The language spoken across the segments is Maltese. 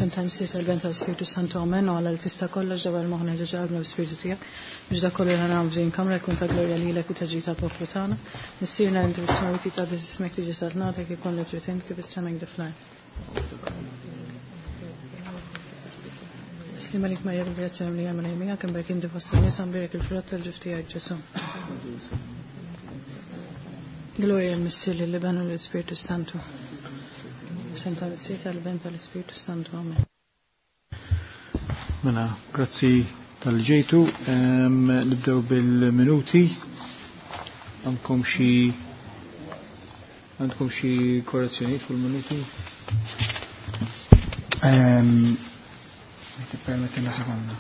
F'isem tal-Missier tal-Ben tal-Spiritu Santu Amen u Alla li tista' kollox dawwar moħħna ġo qalbna bl-Ispirtu tiegħek biex dak kollu li ħa nagħmlu f'din kamra jkun ta' glorja lilek u ta' ġid tal-poplu tagħna. Missierna li inti fis-smewwiet jitqaddes ismek tiġi saltnatek ikun li trid int kif is-sema hekk fl-art. Slima lik Marija bil-grazzja li għamil miegħek imbierek inti fost in-nisa mbierek il-frott tal-ġuf tiegħek Ġesù. Gloria l-Missier lill-Iben u l-Ispirtu Santu. Sem tal-Missier tal-Ben tal-Ispirtu Santu. Amen. Mela, grazzi tal-ġejtu. Nibdew bil-minuti. Għandkom xi għandkom xi korrezzjonijiet fuq il-minuti? Permettina sekonda.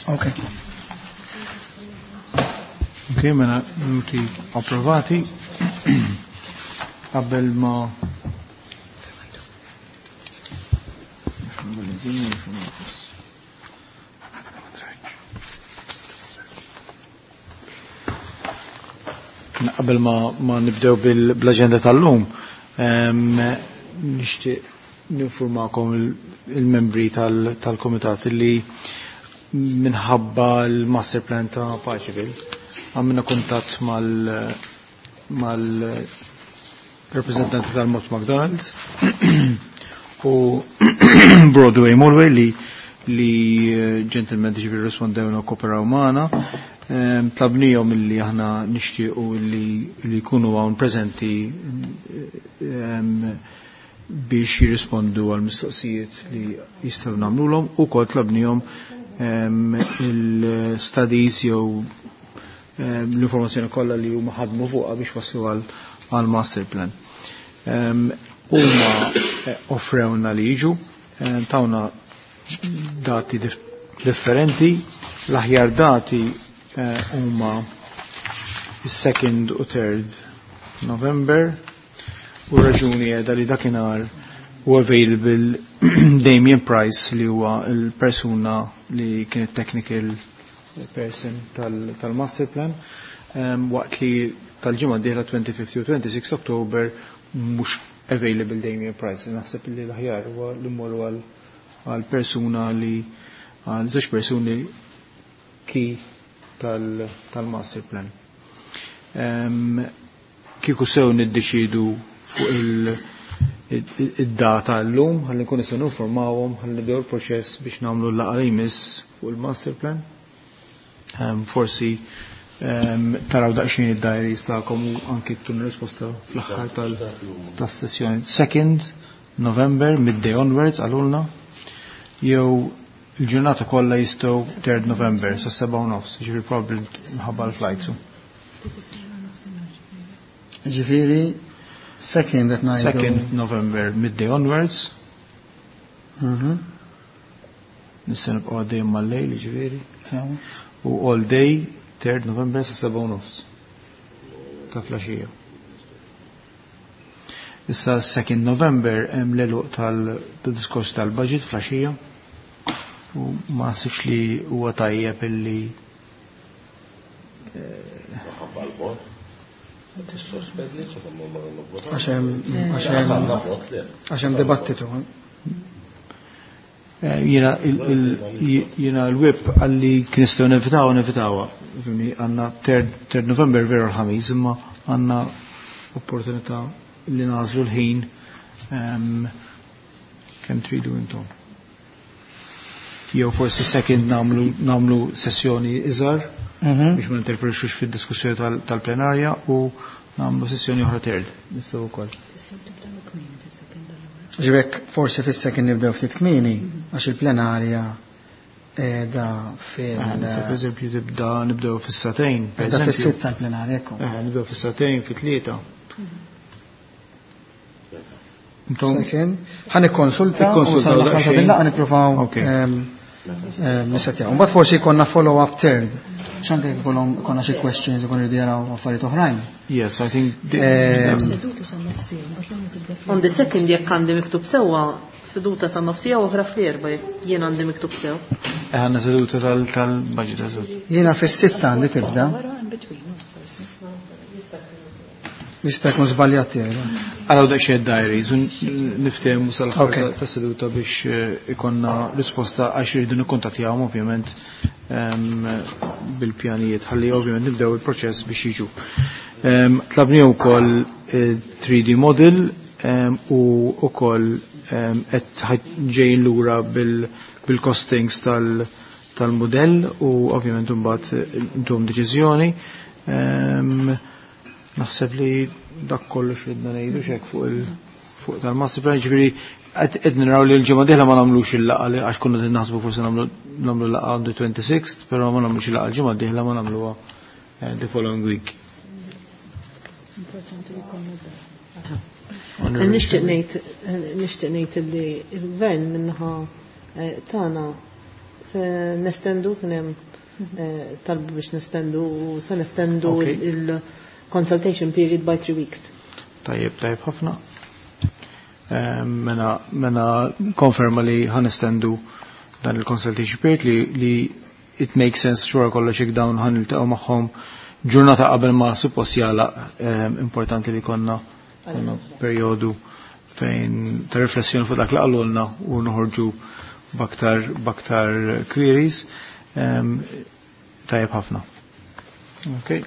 Ok. Ok, mela minuti approvati. Qabel ma Qabel ma, ma nibdew bil-agenda tal-lum, nixtieq ninformakom il-membri tal-komitat li minħabba l-master plan ta' Paceville għamilna kuntatt mal-rappresentanti tal-Mott McDonald's u Broadway Mulway li li gentlemen ġifieri rispondewna u kooperaw magħna. Tlabnihom illi aħna nixtiequ li li jkunu hawn preżenti biex jirrispondu għal mistoqsijiet li jistgħu nagħmluhom u kol tlabnihom il-studies jew l-informazzjoni kollha li huma ħadmu fuqha biex waslu għal master plan. Huma offrewna li jiġu, tawna dati differenti, l-aħjar dati huma is-2nd u 3rd November u raġuni qiegħda li dakinhar u available Damien Price li huwa l-persuna li kienet technical person tal-master plan waqt li tal-ġimgħa d-dieħla 25 u 26 October mhux available Damien Price. Naħseb li l-aħjar huwa li mmorru għal persuna li għal żewġ persuni ki tal-master plan. Kieku sew niddeċidu fuq id-data l-lum, ħalli nkun nistgħu ninformawhom, ħalli nibdew il-proċess biex nagħmlu l-laqgħa li jmiss fuq il-master plan. Forsi taraw daqsxejn id-diaries tagħkom u anki ttun risposta fl-aħħar tas-sessjoni. 2nd November, midday onwards, għalulna, jew il-ġurnata kollha jistgħu 3rd November sa 7:30, ġifieri probabbli minħabba l-flights. Ġifieri second at night. 2nd November, midday onwards. Nista' nibqgħu għaddejjin mal-lejl, ġifieri. U all day, 3rd November sa 7:30 ta' flaxija. Issa 2nd November hemm l-għeluq tal-diskors tal-budget flaxija u ma naħsibx li huwa tajjeb illi Ħabba l-vot. Tissospendi, secondo me non vota. Għax hemm dibattitu. Jiena l-whip għalli kien nistgħu nevitaw, nevitawha. Fimni, għandna 3rd November veru l-ħamis, imma għandna opportunità li nażlu l-ħin kemm tridu intom. Jew forsi second namlu sessjoni iżgħar biex ma ninterferixux fid-diskussjoni tal-plenarja u namlu sessjoni oħra third. Nistgħu wkoll. Tistgħu tibdew kmieni fis-second allura. Ġibrek forsi fis-second nibdew ftit kmieni għax il-plenarja qiegħda fil- Nista' pereżempju tibda nibdew fis-satejn, per Qiegħda eżempju. fis-sitta l-plenarja, ekku. Nibdew fis-satejn, fit-tlieta. Intom Second. Ħa nikkonsulta u Ikkonsultaw sal-aħħar ta' daqsxejn. din laqgħa nippruvaw Ok. nissetjaw. Mbagħad forsi jkollna follow-up third. X'anke jkollhom konna xi questions ikun iridu jaraw affarijiet oħrajn. Yes, I think Seduta sa nofsija, mbagħad l tibda On the second jekk għandi miktub sewwa, seduta sa nofsija u oħra fl-erba' jekk jien għandi miktub sew. Għanna seduta tal-budget eżatt. Jiena fis-sitta għandi tibda. Wara in between, no, forsi. Jista' jkun żbaljat tiegħi. Għaraw daqsxejn diaries u niftehmu sal-aħħar Ok. ta' seduta biex ikonna risposta għax irridu nikkontattjawhom ovvjament bil-pjanijiet ħalli ovvjament nibdew il-proċess biex jiġu. Tlabni wkoll 3D model u wkoll qed ġejjin lura bil-costings tal-modell u ovvjament imbagħad intuhom deċiżjoni. Naħseb li dak kollox ridna ngħidu xek fuq il fuq tal-master plan, ġifieri qed naraw li l-ġimgħa dieħla ma nagħmlux il-laqgħa li għax konna qed naħsbu forsi nagħmlu laqgħa on the 26th, però ma nagħmlux il-laqgħa l-ġimgħa dieħla ma nagħmluha the following week. Importanti li jkollna dan. Nixtieq ngħid li l-gvern minnaħa tagħna se nestendu kien hemm talbu biex nestendu u se nestendu il-consultation period by 3 weeks. Tajjeb, tajjeb ħafna. Mena konferma li ħanestendu dan il-consultation period li it makes sense xura kollox jekk dawn ħan niltaqgħu magħhom ġurnata qabel ma suppost jagħlaq, importanti li konna perjodu fejn ta' riflessjoni fuq dak li qalulna u noħorġu baktar queries. Tajjeb ħafna. Okay.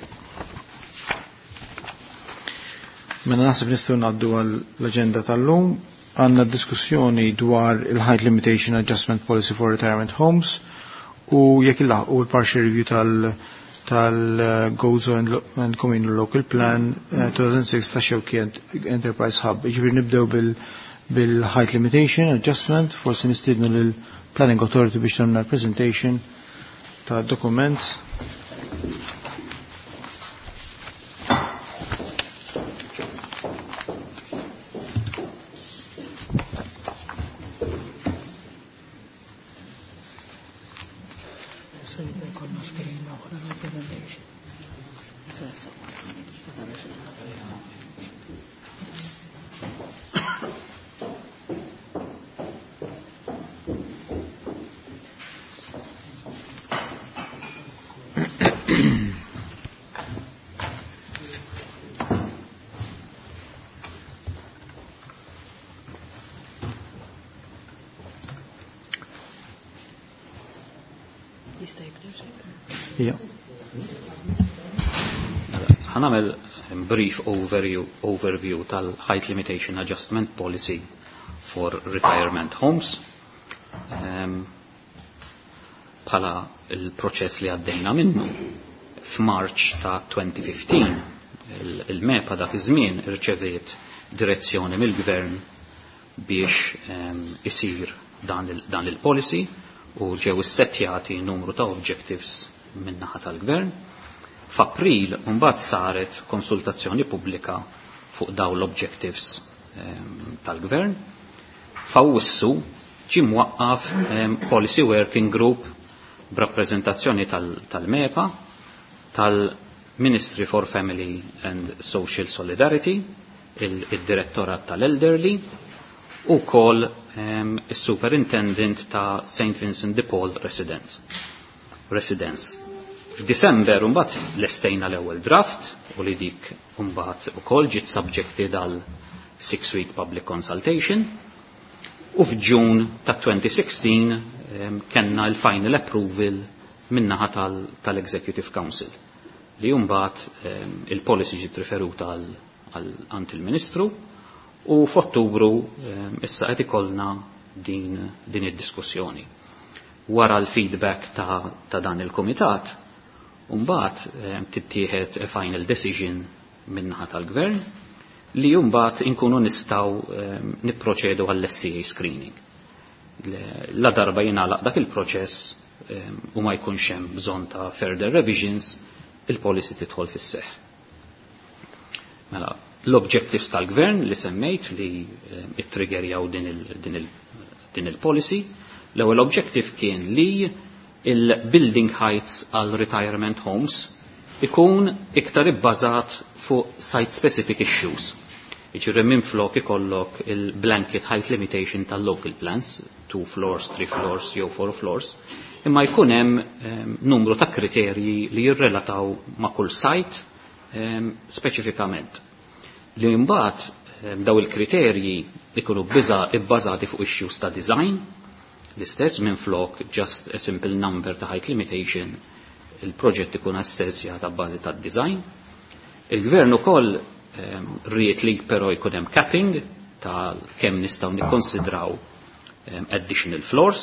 Mela naħseb nistgħu ngħaddu għall-aġenda tal-lum. Għandna diskussjoni dwar il-Height Limitation Adjustment Policy for Retirement Homes u jekk il-laħqu l-partial review tal-Gozo and Communal Local Plan 2006 ta' Xewki Enterprise Hub. Jiġifieri nibdew bil-Height Limitation Adjustment, forsi nistiednu lil Planning Authority biex tagħmel presentation ta' dokument. Ħanamel brief overview tal-Height Limitation Adjustment Policy for Retirement Homes. Bħala il-proċess li għaddejna minnu f'Marċ ta' 2015 il-MEPA dak iż-żmien irċeviet direzzjoni mill-Gvern biex isir dan il-policy u ġew issettjati numru ta' objectives min-naħa tal-Gvern. F'April mbagħad saret konsultazzjoni pubblika fuq dawn l-objectives tal-Gvern. F'Awwissu ġie mwaqqaf Policy Working Group b'rappreżentazzjoni tal-MEPA, tal-Ministry for Family and Social Solidarity, il-Direttorat tal-Elderly, u kol il-Superintendent ta' St. Vincent de Paul Residence. F'Disember mbagħad lestejna l-ewwel draft u li dik mbagħad ukoll ġiet subjected għal 6-week public consultation u f'Ġun ta' 2016 kellna l-final approval min-naħa tal-Executive Council li mbagħad il-policy ġiet riferuta għand il-Ministru u f'Ottubru issa qed ikollna din id-diskussjoni. Wara l-feedback ta' dan il-Kumitat, mbagħad tittieħed a final decision min-naħa tal-Gvern li mbagħad inkunu nistgħu nipproċedu għall-SCA screening. La darba jingħalaq dak il-proċess u ma jkunx hemm bżonn ta' further revisions, il-policy tidħol fis-seħħ. Mela, L-objectives tal-gvern li semmejt li ittriggerjaw din il-policy, l-ewwel objective kien li il-building heights għal retirement homes ikun iktar ibbażat fuq site specific issues. Jiġifieri minflok ikollok il-blanket height limitation tal-local plans, 2 floors, 3 floors, jew 4 floors, imma jkun hemm numru ta' kriterji li jirrelataw ma' kull site speċifikament. Li mbagħad daw il-kriterji ikunu ibbażati fuq issues ta' design, l-istess minflok just a simple number ta' height limitation, il-proġett ikun assessjat ta' bażi ta' design. Il-gvern ukoll ried li però jkun hemm capping ta' kemm nistgħu nikkonsidraw additional floors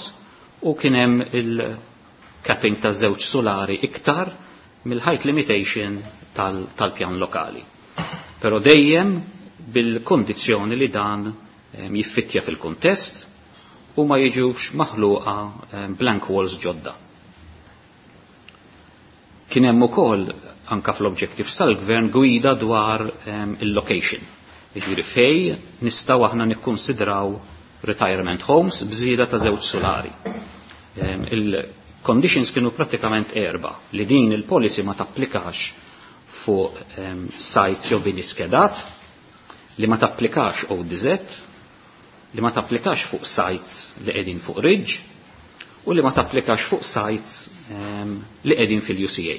u kien hemm il-capping ta' żewġ solari iktar mill-height limitation tal-pjan lokali. Però dejjem bil-kondizzjoni li dan jiffittja fil-kuntest u ma jiġux maħluqa blank walls ġodda. Kien hemm ukoll anka fl-objectives tal-gvern gwida dwar il-location. Jiġifieri fej nistgħu aħna nikkonsidraw retirement homes b'żieda ta' żewġ solari. Il-conditions kienu pratikament erba' li din il-policy ma tapplikax fuq sites jew bini skedat, li ma tapplikax ODZ, li ma tapplikax fuq sites li qegħdin fuq ridge u li ma tapplikax fuq sites li qegħdin fil-UCA.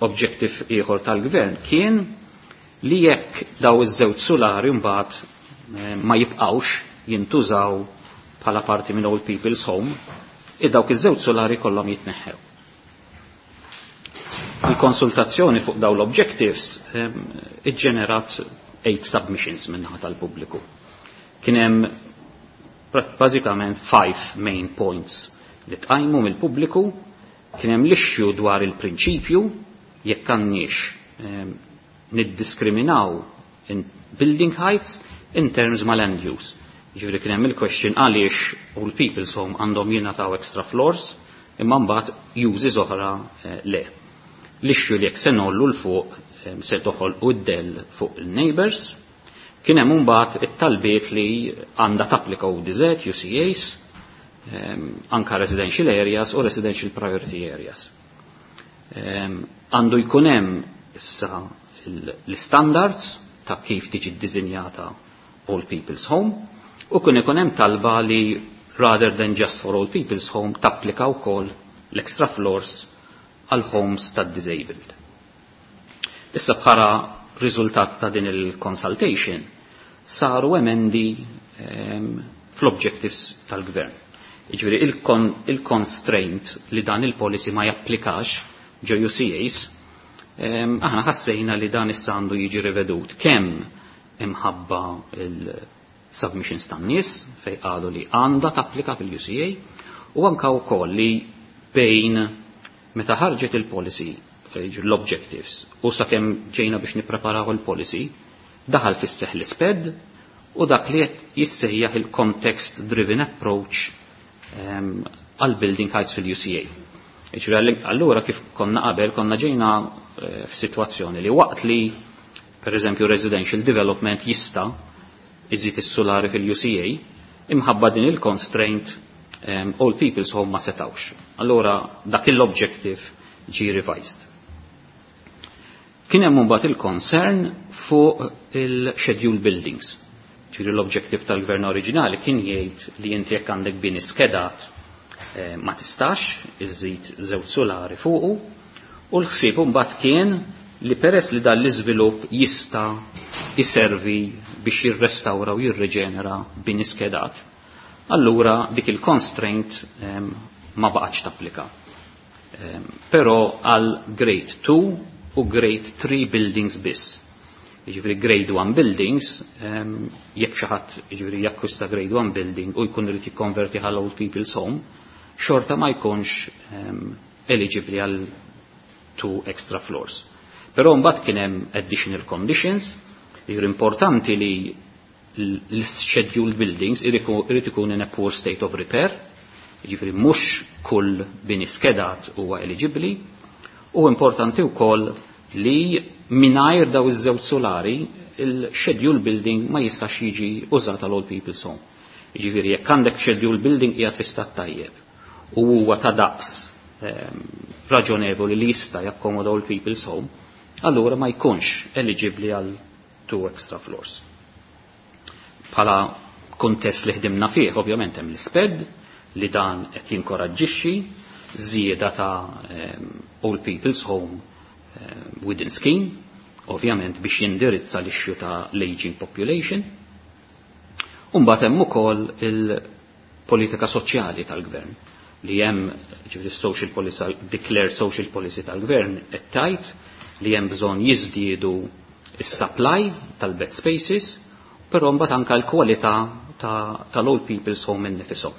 Objective ieħor tal-gvern kien li jekk daw iż-żewġ solari mbagħad ma jibqgħux jintużaw bħala parti minn Old People's Home, id dawk iż-żewġ solari kollhom jitneħħew. Il-konsultazzjoni fuq daw l-objectives iġġenerat 8 submissions minnaħa tal-pubbliku. Kien hemm bażikament 5 main points li tqajmu mill-pubbliku, kien hemm l-issue dwar il-prinċipju jekk għandniex niddiskriminaw in building heights in terms ma' land use. Ġifieri kien hemm il-question għaliex Old People's Home għandhom jingħataw extra floors imma mbagħad uses oħra le. L-issue li jekk se nollu 'l fuq se toħolqu d-del fuq il-neighbors. Kien hemm imbagħad it-talbiet li għandha tapplika ODZ, UCAs, anka residential areas u residential priority areas. Għandu jkun hemm issa l-standards ta' kif tiġi ddisinjata Old People's Home u kien ikun hemm talba li rather than just for Old People's Home tapplika wkoll l-extra floors għal homes tad disabled. Issa bħala riżultat ta' din il-consultation saru emendi fl-objectives tal-gvern. Jiġifieri il-constraint li dan il-policy ma japplikax ġo UCAs, aħna ħassejna li dan issa għandu jiġi rivedut kemm imħabba il-submissions tan-nies fej qalu li għandha tapplika fil-UCA u anka wkoll li bejn meta ħarġet il-policy l-objectives u sakemm ġejna biex nippreparaw il-policy daħal fis-seħ l-isped u dak li qed jissejjaħ il-context driven approach għal building heights fil-UCA. Jiġifieri allura kif konna qabel konna ġejna f'sitwazzjoni li waqt li per eżempju residential development jista' iżid is-solari fil-UCA, imħabba din il-constraint Old People's Home ma setawx. Allura dak l-objective ġi revised. Kien hemm mbagħad il-concern fuq il-schedule buildings. Ġifieri l-objective tal-gvern oriġinali kien jgħid li inti jekk għandek bini skedat ma tistax iżid żewġ solari fuqu u l-ħsieb mbagħad kien li peress li dan l-iżvilupp jista' iservi biex jirrestawra u jirreġenera bini skedat, allura dik il-constraint ma baqgħetx tapplika. Però għal grade 2 u grade 3 buildings biss. Jiġifieri grade 1 buildings, jekk xi ħadd jiġifieri jakkwista grade 1 building u jkun irid jikkonverti għal Old People's Home, xorta ma jkunx eligibli għal 2 extra floors. Però mbagħad kien hemm additional conditions, jiġifieri importanti li l-scheduled buildings irid ikun in a poor state of repair, jiġifieri mhux kull bini skedat huwa eligibbli, u importanti wkoll li mingħajr daw iż-żewġ solari il-schedule building ma jistax jiġi użat għal old people's home. Jiġifieri jekk għandek schedule building qiegħed fi stat tajjeb u huwa ta' daqs raġonevoli li jista' jakkomoda old people's home, allura ma jkunx eligibbli għal two extra floors. Bħala kuntest li ħdimna fih, ovvjament hemm l-isped li dan qed jinkoraġġixxi żieda ta' old people's home within scheme, ovvjament biex jindirizza l-issue ta' l-aging population. Umbagħad hemm ukoll il-politika soċjali tal-gvern li hemm, ġifieri, social policy, declared social policy tal-gvern qed tgħid li hemm bżonn jiżdiedu is-supply tal-bed spaces, però mbagħad anke l-kwalità tal-old people's home innifisom.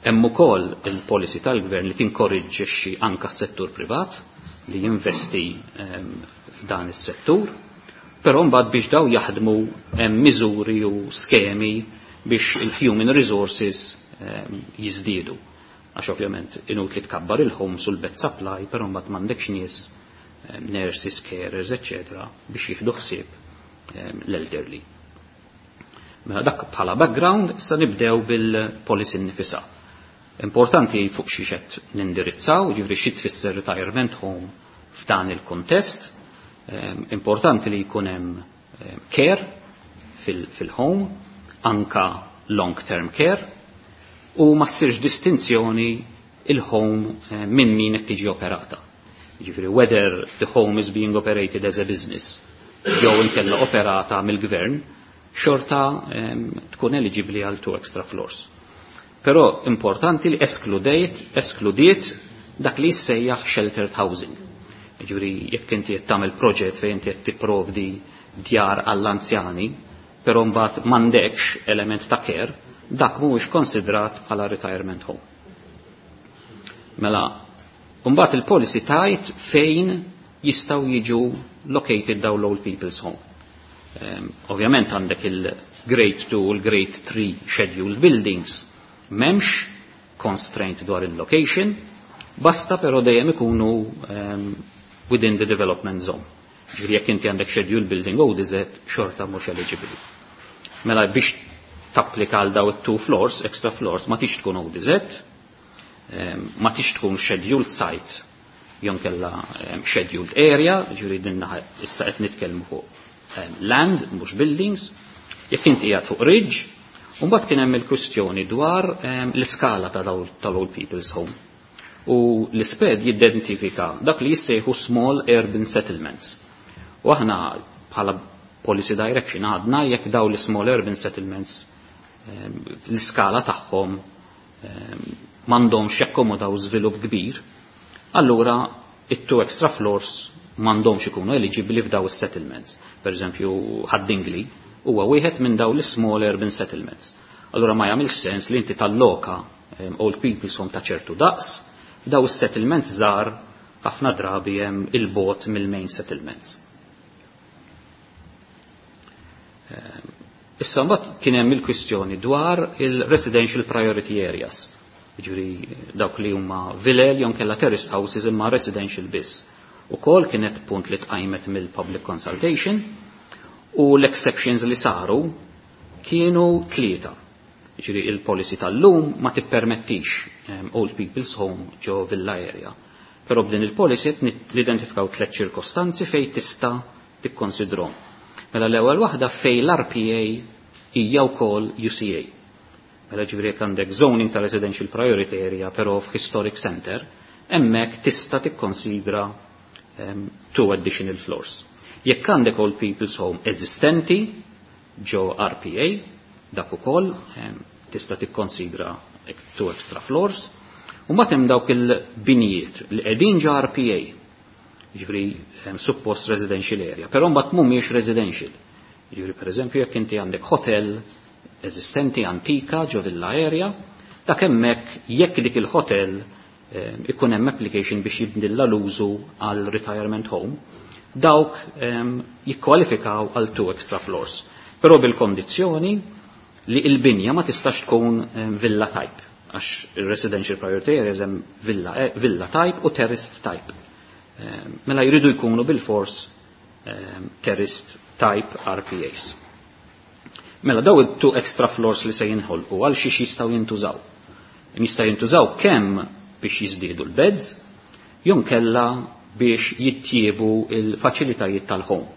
Hemm ukoll il-policy tal-gvern li tinkoraġġixxi anke s-settur privat li jinvesti f'dan is-settur, però mbagħad biex daw jaħdmu hemm miżuri u skemi biex il-human resources jiżdiedu. Għax ovvjament inutli tkabbar il-homes u l-bed supply, però mbagħad m'għandekx nies, nurses, carers, etc. biex jieħdu ħsieb l-elderly. Mela dak bħala background, issa nibdew bil-policy nifisha. Importanti fuq xi qed nindirizzaw, ġifieri xi tfisser retirement home f'dan il-kontest. Importanti li jkun hemm care fil-home, anka long-term care, u ma ssirx distinzjoni il-home minn min qed tiġi operata. Ġifieri whether the home is being operated as a business jew inkella operata mill-gvern, xorta tkun eligibli għal two extra floors. Però importanti li eskludiet dak li jissejjaħ sheltered housing. Ġifieri jekk inti qed tagħmel proġett fejn inti qed tipprovdi djar għall-anzjani, però mbagħad m'għandekx element ta' care, dak mhuwiex konsidrat bħala retirement home. Mela, mbagħad il-policy tgħid fejn jistgħu jiġu located dawn l-old people's home. Ovvjament għandek il-grade 2 u l-grade 3 scheduled buildings, m'hemmx constraint dwar il-location, basta però dejjem ikunu within the development zone. Ġifieri jekk inti għandek scheduled building ODZ, xorta mhux eligible. Mela biex tapplika għal daw it-two floors, extra floors, ma tix tkun ODZ, ma tix tkun scheduled site jew inkella scheduled area, ġifieri din naħa issa qed nitkellmu fuq land, mhux buildings, jekk inti qiegħed fuq ridge, u mbagħad kien hemm il-kwistjoni dwar l-iskala ta' tal-old people's home. U l-isped jidentifika dak li jissejħu small urban settlements. U aħna bħala policy direction għadna jekk daw l-small urban settlements l-iskala tagħhom m'għandhomx jakkomodaw żvilupp kbir, allura it-two extra floors m'għandhomx ikunu eligibli f'daw is-settlements. Per eżempju, Ħad-Dingli huwa wieħed minn daw l-small urban settlements. Allura ma jagħmilx sens li inti talloka old people's home ta' ċertu daqs, f'daw is-settlements żgħar, ħafna drabi hemm il-bogħod mill-main settlements. Issa mbagħad kien hemm il-kwistjoni dwar il-residential priority areas. Jiġifieri dawk li huma vilel jew kella terraced houses imma residential biss. Ukoll kienet punt li tqajmet mill-public consultation u l-exceptions li saru kienu tlieta. Jiġifieri il-policy tal-lum ma tippermettix old people's home ġo villa area. Però b'din il-policy l-identifikaw tliet ċirkostanzi fejn tista' tikkonsidrom. Mela l-ewwel waħda fejn l-RPA hija wkoll UCA. Mela ġifieri jekk għandek zoning ta' residential priority area però f'historic center, hemmhekk tista' tikkonsidra two additional floors. Jekk għandek old people's home eżistenti ġo RPA, dak ukoll tista' tikkonsidra two extra floors. U mbagħad hemm dawk il-binijiet li qegħdin ġo RPA, ġifieri suppost residential area, però mbagħad mhumiex residential. Ġifieri pereżempju jekk inti għandek hotel eżistenti antika ġo villa area, dak hemmhekk jekk dik il-hotel ikun hemm application biex jibdilla l-użu għal retirement home, dawk jikkwalifikaw għal two extra floors. Però bil-kondizzjoni li il-binja ma tistax tkun villa type, għax il-residential priority areas hemm villa type u terraced type. Mela jridu jkunu bil-fors terraced type. type RPAs. Mela daw it-two extra floors li se jinħolqu għal xiex jistgħu jintużaw. Jistgħu jintużaw kemm biex jiżdiedu l-beds, jew kella biex jittjiebu il-faċilitajiet tal-home.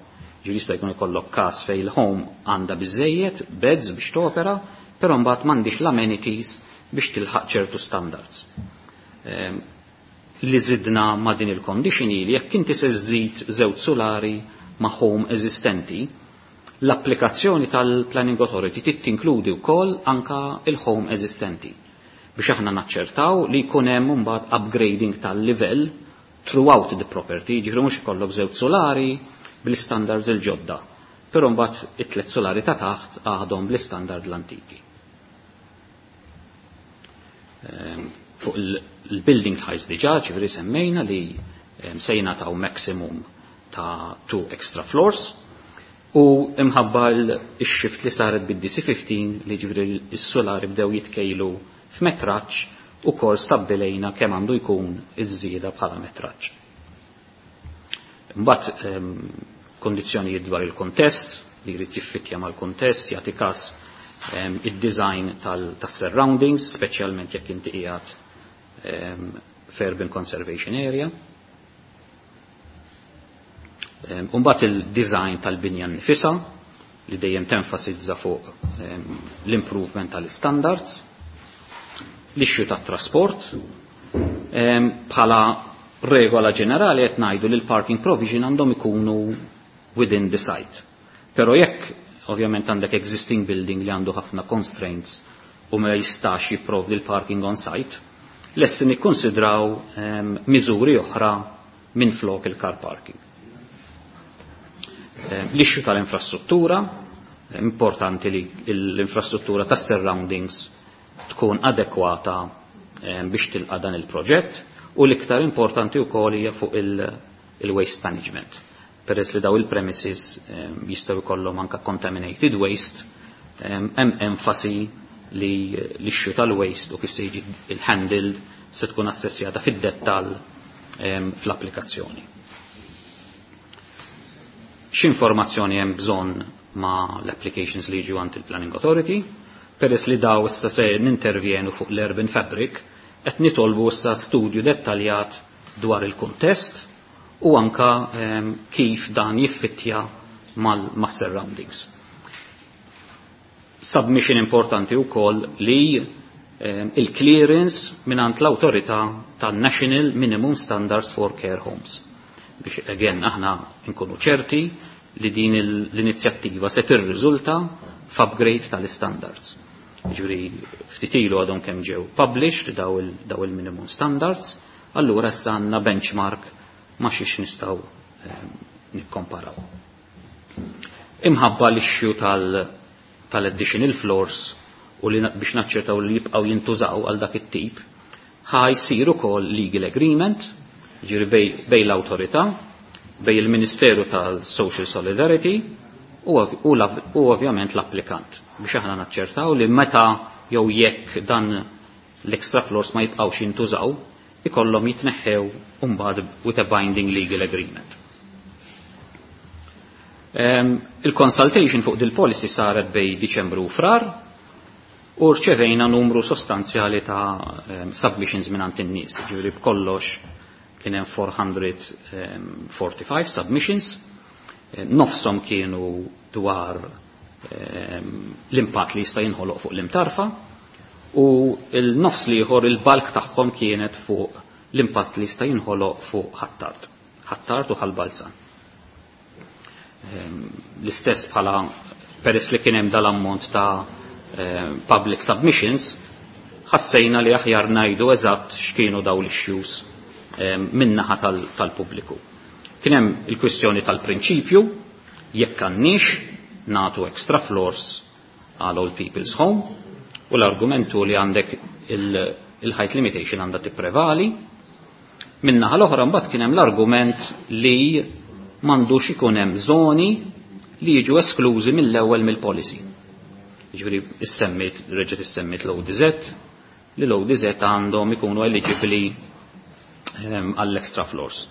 Ġifieri jista' jkun ikollok każ fejn il-home għandha biżejjed beds biex topera, però mbagħad m'għandix l-amenities biex tilħaq ċertu standards. Li zidna ma' din il-condition li jekk inti se żżid żewġ solari ma' home eżistenti, l-applikazzjoni tal-Planning Authority trid tinkludi wkoll anka il-home eżistenti biex aħna naċċertaw li jkun hemm imbagħad upgrading tal-livell throughout the property, ġifieri mhux ikollok żewġ solari bl-standards il-ġodda, però mbagħad it-tliet solari ta' taħt għadhom bl-istandard l-antiki. Fuq il-building heights diġà, ġifieri semmejna li se jingħataw maximum ta' two extra floors u imħabba l-shift li saret bid-DC15 li ġifieri s-solari bdew jitkejlu f'metraġġ u kol stabbilejna kemm għandu jkun iż-żieda bħala metraġġ. Mbagħad kondizzjonijiet dwar il-kontest li jrid jiffittja mal-kontest, jagħti każ id-design tas-surroundings, speċjalment jekk inti qiegħed f'urban conservation area. Mbagħad il-design tal-binja nnifisha li dejjem tenfasizza fuq l-improvement tal-standards, l-issue tat-trasport, bħala regola ġenerali qed ngħidu li l-parking provision għandhom ikunu within the site. Però jekk ovvjament għandek existing building li għandu ħafna constraints u ma jistax jipprovdi l-parking on site, lesti nikkonsidraw miżuri oħra minn flok il-car parking. L-issue tal-infrastruttura, importanti li l-infrastruttura tas-surroundings tkun adekwata biex tilqa' dan il-proġett, u l-iktar importanti wkoll hija fuq il-waste management. Peress li daw il-premises jistgħu jkollhom anka contaminated waste, hemm enfasi li l-issue tal-waste u kif se jiġi il-handled se tkun assessjata fid-dettall fl-applikazzjoni. X'informazzjoni hemm bżonn ma' l-applications li jiġu għand il-Planning Authority? Peress li daw issa se nintervjenu fuq l-Urban Fabric, qed nitolbu issa studju dettaljat dwar il-kuntest u anka kif dan jiffittja mas-surroundings. Submission importanti wkoll li il-clearance mingħand l-awtorità tan-National Minimum Standards for Care Homes. Biex again aħna nkunu ċerti li din l-inizjattiva se tirriżulta f'upgrade tal-standards. Ġifieri ftit ilu għadhom kemm ġew published daw il-minimum standards, allura issa għandna benchmark ma xiex nistgħu nikkomparaw. Imħabba l-issue tal-additional floors u li biex naċċertaw li jibqgħu jintużaw għal dak it-tip, ħa jsir ukoll legal agreement, ġifieri bej l-awtorità, bej il-Ministeru tal-Social Solidarity u ovvjament l-applikant biex aħna naċċertaw li meta jew jekk dan l-extra floors ma jibqgħux jintużaw, ikollhom jitneħħew mbagħad with a binding legal agreement. Il-consultation fuq dil-policy saret bej Diċembru u Frar u rċevejna numru sostanzjali ta' submissions minn in-nies, ġifieri b'kollox kien hemm 445 submissions, nofshom kienu dwar l-impatt li jista' jinħoloq fuq l-imtarfa u l-nofs l-ieħor il-bulk tagħhom kienet fuq l-impatt li jista' jinħoloq fuq Ħ'Attard, Ħ'Attard u Ħal Balzan. L-istess bħala peress li kien hemm dal-ammont ta' public submissions, ħassejna li aħjar ngħidu eżatt x'kienu daw l-issues min-naħa tal-pubbliku. Kien hemm il-kwistjoni tal-prinċipju jekk għandniex nagħtu extra floors għal Old People's Home u l-argumentu li għandek il-height limitation għandha tipprevali. Min-naħa l-oħra mbagħad kien hemm l-argument li m'għandux ikun hemm żoni li jiġu esklużi mill-ewwel mill-policy. Jiġifieri issemmit, reġgħet issemmit l-ODZ, li l-ODZ għandhom ikunu eligibli għall-extra floors.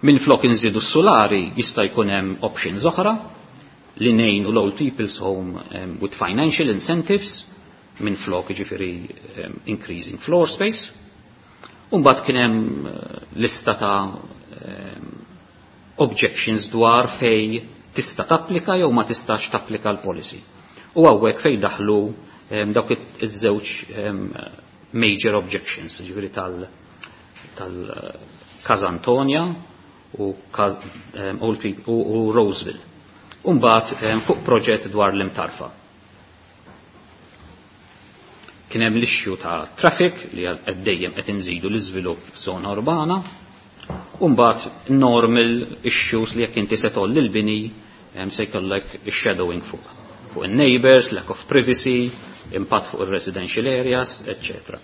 Minn flok inżidu s-solari jista' jkun hemm options oħra. li ngħinu l-Old People's Home with financial incentives minn flok, ġifieri increasing floor space. U mbagħad kien hemm lista ta' objections dwar fej tista' tapplika jew ma tistax tapplika l-policy. U hawnhekk fej daħlu dawk iż-żewġ major objections, ġifieri tal Casa Antonia u Old People u Roseville. U mbagħad fuq proġett dwar l-Imtarfa. Kien hemm l-issue ta' traffic li qed dejjem qed inżidu l-iżvilupp f'żona urbana, u mbagħad normal issues li jekk inti se tgħolli l-bini se jkollek shadowing fuq in-neighbors, lack of privacy, impatt fuq il-residential areas, etc.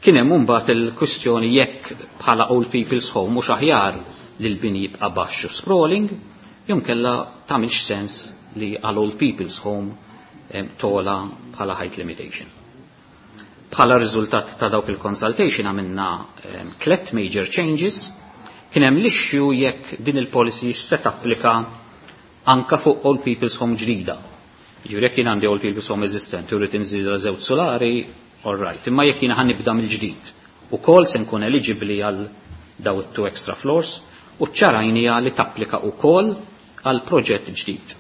Kien hemm imbagħad il-kwistjoni jekk bħala Old People's Home mhux aħjar li l-bini jibqa' baxx u sprawling, jew inkella tagħmilx sens li għal Old People's Home togħla bħala height limitation. Bħala riżultat ta' dawk il-consultation għamilna tlet major changes. Kien hemm l-issue jekk din il-policy se tapplika anka fuq Old People's Home ġdida. Ġifieri jekk jien għandi Old People's Home eżistenti u rrid inżid żewġ solari, all right. Imma jekk jiena ħa nibda mill-ġdid, ukoll se nkun eligibbli għal daw it-two extra floors, u ċarajnija li tapplika ukoll għal proġett ġdid.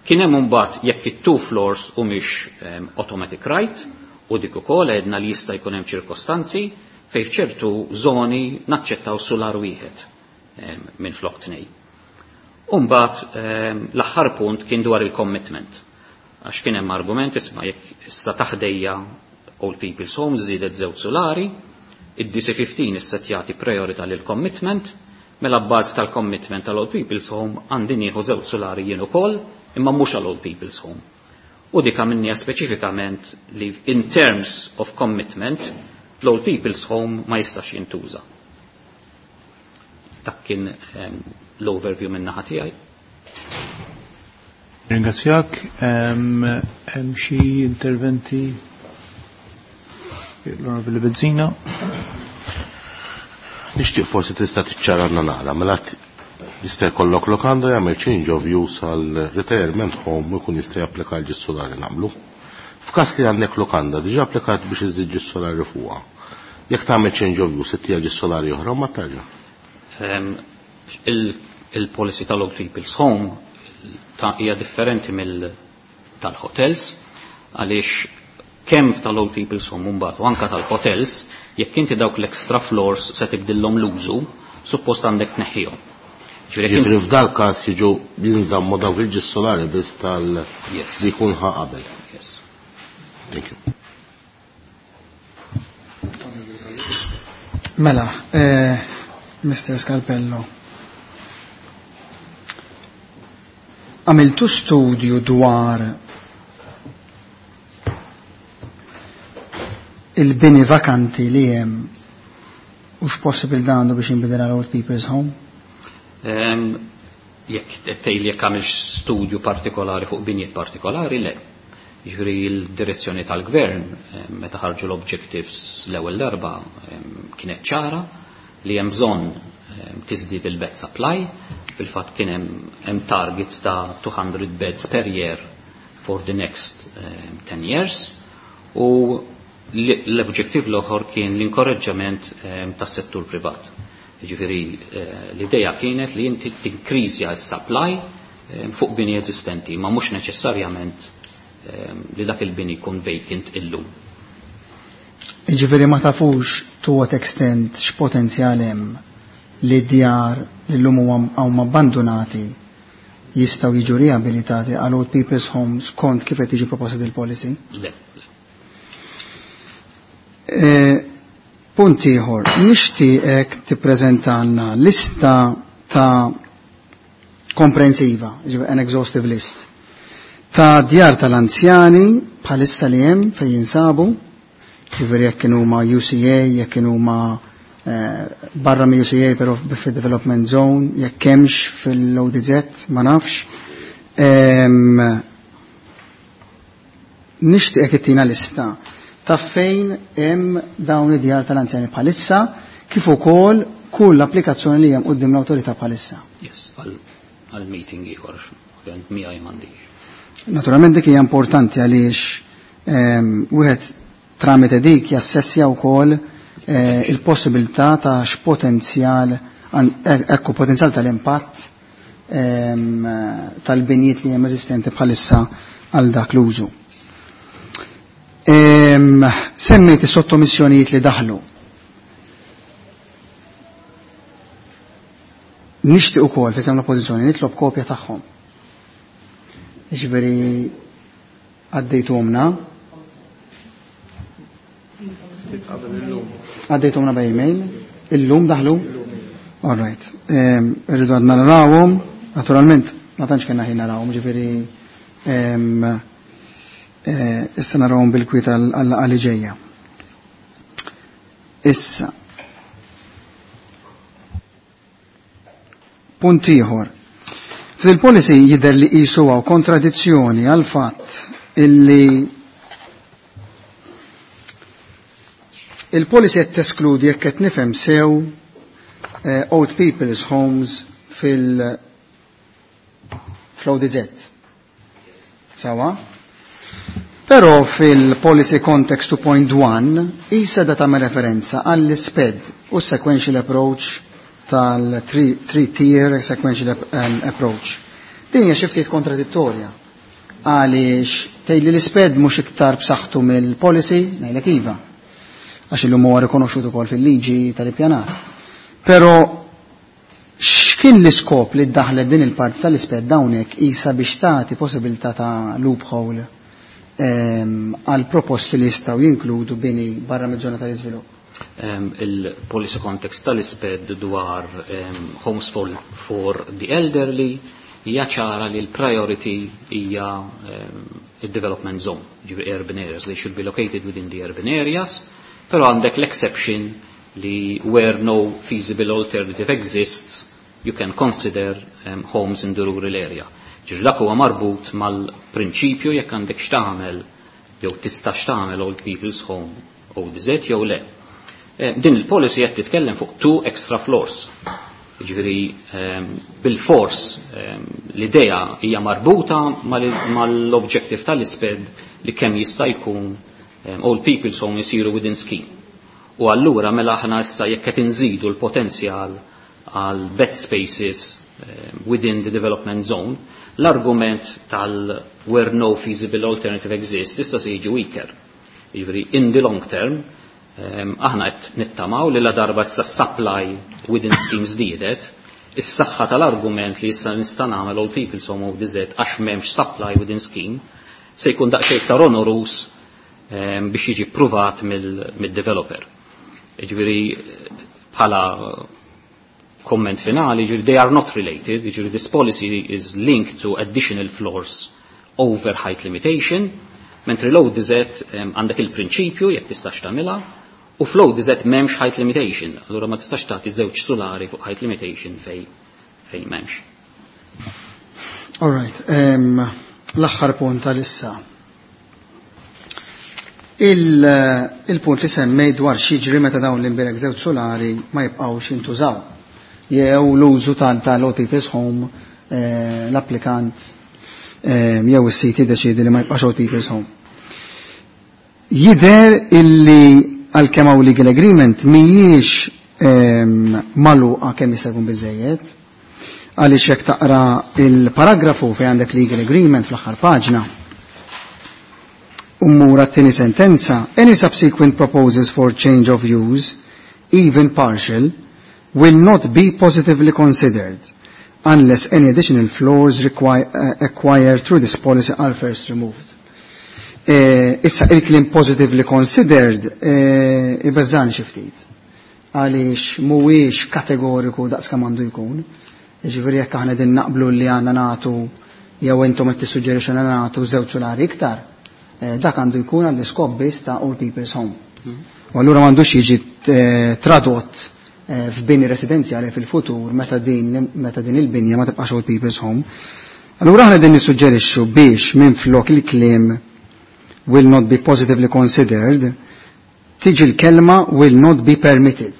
Kien hemm imbagħad jekk it-two floors humiex automatic right, u dik ukoll għedna li jista' jkun hemm ċirkostanzi fejn f'ċertu żoni naċċettaw solar wieħed minn flok tnej. U mbagħad l-aħħar punt kien dwar il-commitment. Għax kien hemm argument, isma' jekk issa taħdejja Old People's Homes żiedet żewġ solari, id-DC15 issa jagħti priorità lil commitment, mela bbażi tal-commitment tal-Old People's Home għandi nieħu żewġ solari jien ukoll, imma mhux għal Old People's Home. U dik għamilniha speċifikament li in terms of commitment l-Old People's Home ma jistax jintuża. Dak kien l-overview minn naħa tiegħi. Ringrazzjak. Hemm xi interventi? L-Onorevoli Bezzina. Nixtieq forsi tista' tiċċarana naqra, mela jista' jkollok lokanda jagħmel change of use għal retirement home u jkun jista' japplika għal solari nagħmlu. F'każ li għandek lokanda diġà applikat biex iżid solari fuqha. Jekk tagħmel change of use ittija solari oħra ma tarġa'. Il-policy tal-Old People's Home hija differenti mill tal-hotels, għaliex kemm tal-Old People's Home mbagħad u anka tal-hotels, jekk inti dawk l-extra floors se tibdilhom l-użu, suppost għandek tneħħihom. Ġifieri f'dal każ jiġu jinżammu dawk il-ġis solari biss tal li jkun ħa qabel. Yes. Thank you. Mela, Mr. Scarpello, għamiltu studju dwar il-bini vakanti li hemm u x'possibil dan għandu biex jinbidel għal Old People's Home? Jekk tgħid jekk għamilx studju partikolari fuq binjiet partikolari, le. Jiġifieri l-direzzjoni tal-gvern meta ħarġu l-objectives l-ewwel darba kienet ċara li hemm bżonn tiżdied il-bed supply. Fil-fatt kien hemm targets ta' 200 beds per year for the next 10 years, u l-objective l-oħor kien l-inkoraġġament tas-settur privat. Jiġifieri l-idea kienet li inti tinkriżja s-supply fuq bini eżistenti, ma mhux neċessarjament li dak il-bini jkun vacant illum. Jiġifieri ma tafux to what extent x'potenzjal hemm li djar li llum huma abbandonati jistgħu jiġu riabilitati għal Old People's Homes skont kif qed tiġi proposta il-policy? Le, le. Punt ieħor, nixtieqek tippreżentalna lista ta' komprensiva, ġifieri an exhaustive list, ta' djar tal-anzjani bħalissa li hemm fejn jinsabu, ġifieri jekk kienu huma UCA, jekk kienu huma barra mi UCA però fid-development zone, jekk hemmx fil-ODZ, ma nafx. Nixtieqek ittina lista ta' fejn hemm dawn id-djar tal-anzjani bħalissa, kif ukoll kull applikazzjoni li hemm quddiem l-awtorità bħalissa. Yes, għal meeting ieħor, ovvjament miegħi m'għandix. Naturalment dik hija importanti għaliex wieħed tramite dik jassessja wkoll il-possibilità ta' x'potenzjal ekku potenzjal tal-impatt tal-binjiet li hemm eżistenti bħalissa għal dak l-użu. Semmejt is-sottomissjonijiet li daħlu. Nixtieq ukoll fejn l-oppożizzjoni nitlob kopja tagħhom. Jiġifieri għaddejtumna. Għaddejtumna by email. Illum daħlu? All right. Irridu għadna narawhom, naturalment ma tantx kellna ħin narawhom, ġifieri issa narawhom bil-kwieta għal ġejja. Issa. Punt ieħor. Fil-policy jidher li qisu hawn kontradizzjoni għal fatt illi il-policy qed teskludi jekk qed nifhem sew old people's homes fil-ODZ. Sawa? Però fil-policy context 2.1 isa da tagħmel referenza għall-SPED u sequential approach tal-three-tier sequential approach. Din hija xi ftit kontradittorja għaliex tgħid li l-SPED mhux iktar b'saħħtu mill-policy, ngħidlek iva. Għax illum huwa rikonoxxut ukoll fil-liġi tal-ippjanar. Però x'kien l-iskop li ddaħlet din il-parti tal-SPED hawnhekk isa biex tagħti possibilità ta' loophole għal proposti li jistgħu jinkludu bini barra miż-żona tal-iżvilupp? Il-policy context tal-SPED dwar homes for the elderly hija ċara li l-priority hija il-development zone, ġifieri urban areas, they should be located within the urban areas, però għandek l-exception li where no feasible alternative exists, you can consider homes in the rural area. Ġifieri dak huwa marbut mal-prinċipju jekk għandek x'tagħmel jew tista' x'tagħmel old people's home ODZ jew le. Din il-policy qed titkellem fuq 2 extra floors. Ġifieri bil-fors l-idea hija marbuta mal-objective tal-SPED li kemm jista' jkun old people's home jisiru within scheme. U allura mela aħna issa jekk qed inżidu l-potenzjal għal bed spaces within the development zone, l-argument tal where no feasible alternative exists issa se jiġi weaker. Jiġifieri in the long term aħna qed nittamaw li la darba issa supply within schemes żdiedet, is-saħħa tal-argument li issa nista' nagħmel old people's home ODZ għax m'hemmx supply within scheme se jkun daqsxejn iktar onerous biex jiġi ppruvat mid-developer. Jiġifieri bħala comment finali, ġifieri they are not related, ġifieri this policy is linked to additional floors over height limitation, mentri l-ODZ għandek il-prinċipju jekk tistax tagħmilha, u fl-ODZ m'hemmx height limitation, allura ma tistax tagħti żewġ sulari fuq height limitation fej m'hemmx. All right, l-aħħar punt tal-issa. Il-punt li semmej dwar x'jiġri meta dawn l-imbirek żewġ sulari ma jibqgħux jintużaw. Jew l-użu tal-Old People's Home, l-applikant jew is-sit jiddeċiedi li ma jibqax Old People's Home. Jidher illi għalkemm hawn legal agreement mhijiex magħluqa kemm jista' jkun biżejjed, għaliex jekk taqra il-paragrafu fejn għandek legal agreement fl-aħħar paġna, ummura t-tieni sentenza, any subsequent proposals for change of use, even partial, will not be positively considered unless any additional floors acquired through this policy are first removed. Issa il-kliem positively considered ibeżżani xi ftit. Għaliex mhuwiex kategoriku daqs kemm għandu jkun. Jiġifieri jekk aħna din naqblu li għandna nagħtu jew intom qed tissuġġerixxu li nagħtu żewġ sulari iktar, dak għandu jkun għall-iskop biss ta' Old People's Home. U allura m'għandux jiġi tradott f'bini residenzjali fil-futur meta din il-binja ma tibqax Old People's Home. Allura aħna din nissuġġerixxu biex minflok il-kliem will not be positively considered tiġi l-kelma will not be permitted.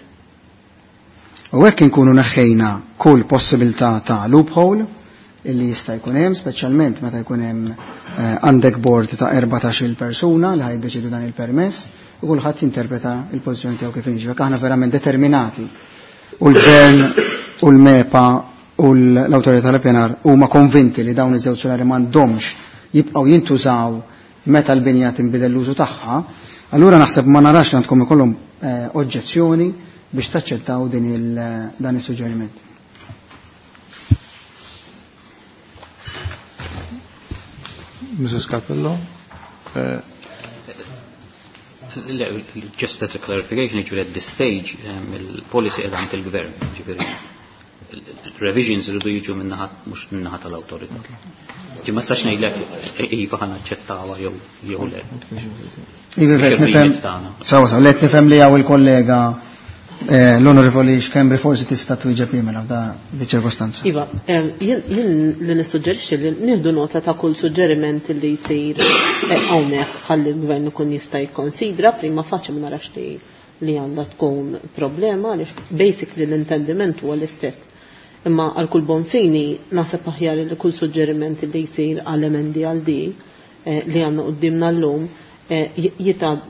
U hekk inkunu neħħejna kull possibilità ta' loophole illi jista' jkun hemm, speċjalment meta jkun hemm għandek board ta' 14-il persuna li ħajdeċidu dan il-permess u kulħadd jinterpreta il-pożizzjoni tiegħu kif inhi. Aħna verament determinati u l-Gvern u l-MEPA u l-Awtorità tal-Pjanar huma konvinti li dawn iż-żewġ solari m'għandhomx jibqgħu jintużaw meta l-binja tinbidel l-użu tagħha, allura naħseb ma narax li għandkom ikollhom oġġezzjoni biex taċċettaw dan is-suġġeriment. Mrs. Capello? Just as a clarification, ġifieri at this stage, il-policy qiegħda għand il-gvern, ġifieri revisions iridu jiġu minnaħat mhux minnaħa tal-awtorità. Ġi ma stax ngħidlek iva ħa naċċettawha jew le. Iva nifhem. Sawa sawa, let nifhem li hawn il-kollega l-Onorevoli Schembri forsi tista' twieġeb mela f'da di ċirkostanza. Iva, jien li nissuġġerixxi li nieħdu nota ta' kull suġġeriment li jsir hawnhekk ħalli l-gvern ikun jista' jikkonsidra prima faċi ma narax li għandha tkun problema għaliex basically l-intendiment huwa l-istess. Imma għal kull bon fini naħseb aħjar li kull suġġeriment li jsir għal emendi għal di li għandna qudiemna llum jitgħad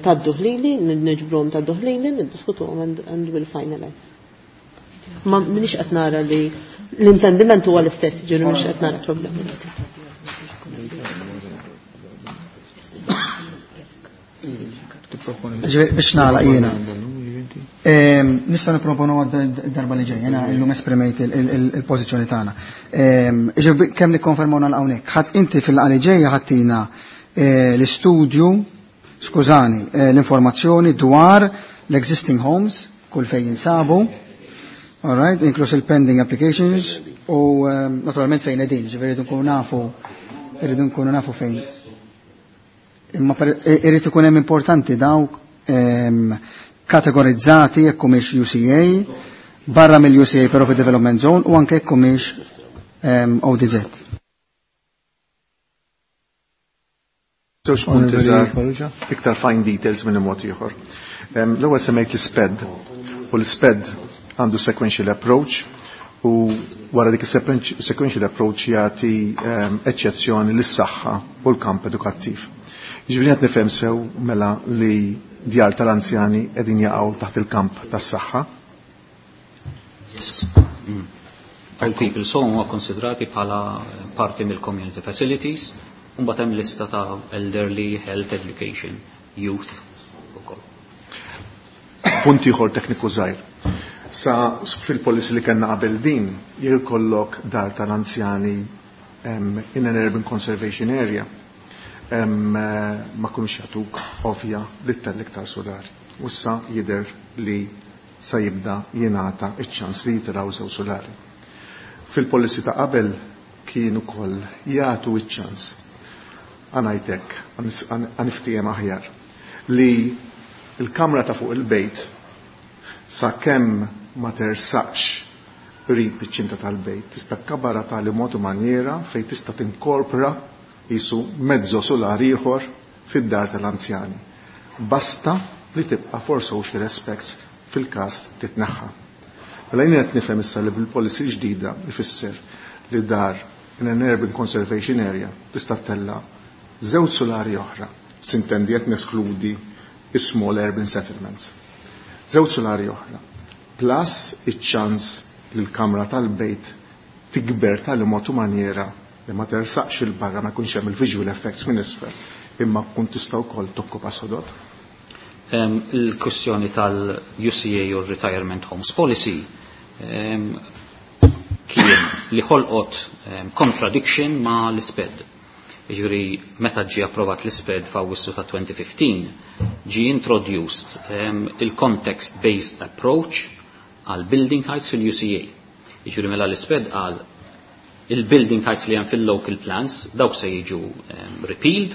taddu ħlili, niġbruhom taddu ħlili, niddiskutuhom and we'll finalize. Ma minix qed nara li l-intendiment huwa l-istess, ġieli mhux qed nara problemi. Biex nagħlaq jiena. Nista' nipproponu għad-darba li ġejja, jiena illum esprimejt il-pożizzjoni tagħna. Kemm nikkonfermaw nagħlaq hawnhekk. Ħadd inti fil-laqgħa li ġejja ħadtina l-istudju, skużani, l-informazzjoni dwar l-existing homes, kull fejn jinsabu, all right, inkluż il-pending applications u naturalment fejn qegħdin, ġifieri rridu nkunu nafu, irridu nkunu nafu fejn. Imma irid ikun hemm importanti dawk kategorizzati jekk humiex UCA, barra mill-UCA però fi development zone u anke jekk humiex ODZ. Żewġ punti żgħar, iktar fine details minn mod ieħor. L-ewwel semmejt l-SPED u l-SPED għandu sequential approach u wara dik sequential approach jagħti eċċezzjoni lis-saħħa u l-kamp edukattiv. Jiġifieri qed nifhem sew mela li djar tal-anzjani qegħdin jaqgħu taħt il-kamp tas-saħħa. Yes. Old people's home huwa konsidrati bħala parti mill-community facilities. Mbagħad hemm lista ta' elderly, health, education, youth ukoll. Punt ieħor tekniku żgħir. Sa fil-policy li kellna qabel din, jekk ikollok dar tal-anzjani in an urban conservation area, ma kunux jagħtuk ovvja li ttella' iktar solari. U issa jidher li sa jibda jingħata iċ-ċans li jitilgħu żewġ solari. Fil-policy ta' qabel kien ukoll jagħtu iċ-ċans għanajtek, għaniftijem aħjar, li il-kamra ta' fuq il-bejt sa' kemm ma tersaqx qrib iċ-ċinta tal-bejt, tista' tkabara tali mod u manjera fejn tista' tinkorpora jisu mezzo solari ieħor fid-dar tal-anzjani. Basta li tibqa' for social aspects fil-każ titneħħa. Mela jien qed nifhem issa li bil-policy ġdida ifisser li dar in an urban conservation area tista' ttella' żewġ solari oħra, sintendi qed neskludi small urban settlements. Żewġ solari oħra, plus iċ-ċans li l-kamra tal-bejt tikber tal-mod u manjera li ma tersaqx il-barra ma jkunx hemm il-visual effects minn isfel, imma kun tista' wkoll tokkupa sodod. Il-kwestjoni tal-UCA u Retirement Homes Policy kien li ħolqot contradiction ma l-SPED. Jiġifieri meta ġie approvat l-SPED f'Awwissu ta' 2015, ġie introduced il-context-based approach għal building heights fil-UCA. Jiġifieri mela l-SPED għal il-building heights li hemm fil-local plans dawk se jiġu repealed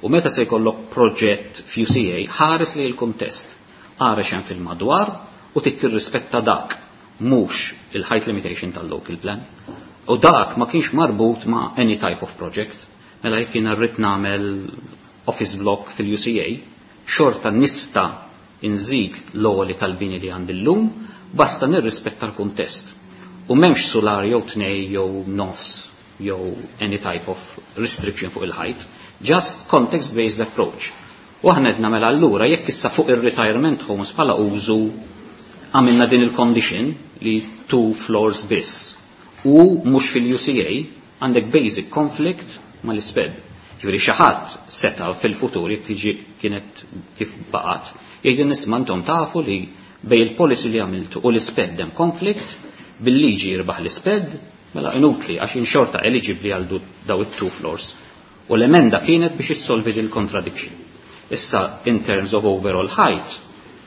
u meta se jkollok proġett f'UCA ħares li l-kuntest, ħares hemm fil-madwar u trid tirrispetta dak mhux il-height limitation tal-local plan. U dak ma kienx marbut ma' any type of project. Mela jekk jiena rrid nagħmel office block fil-UCA, xorta nista' inżid l-għoli tal-bini li għandi llum Basta nirrispetta l-kuntest. U m'hemmx solar jew tnej jew nofs jew any type of restriction fuq il-height, just context-based approach. U aħna qed mela allura jekk issa fuq ir-retirement homes bħala użu għamilna din il-condition li two floors biss u mhux fil-UCA għandek basic conflict mal-isped. Ġifieri xi ħadd seta' fil-futur jekk tiġi kienet kif baqgħet, jgħidu nisma' intom tafu li bej il-policy li għamiltu u l-isped hemm conflict, bil-liġi jirbaħ l-isped, mela inutli għax inxorta eligibli għal daw it-two floors. U l-emenda kienet biex issolvi il contradiction. Issa, in terms of overall height,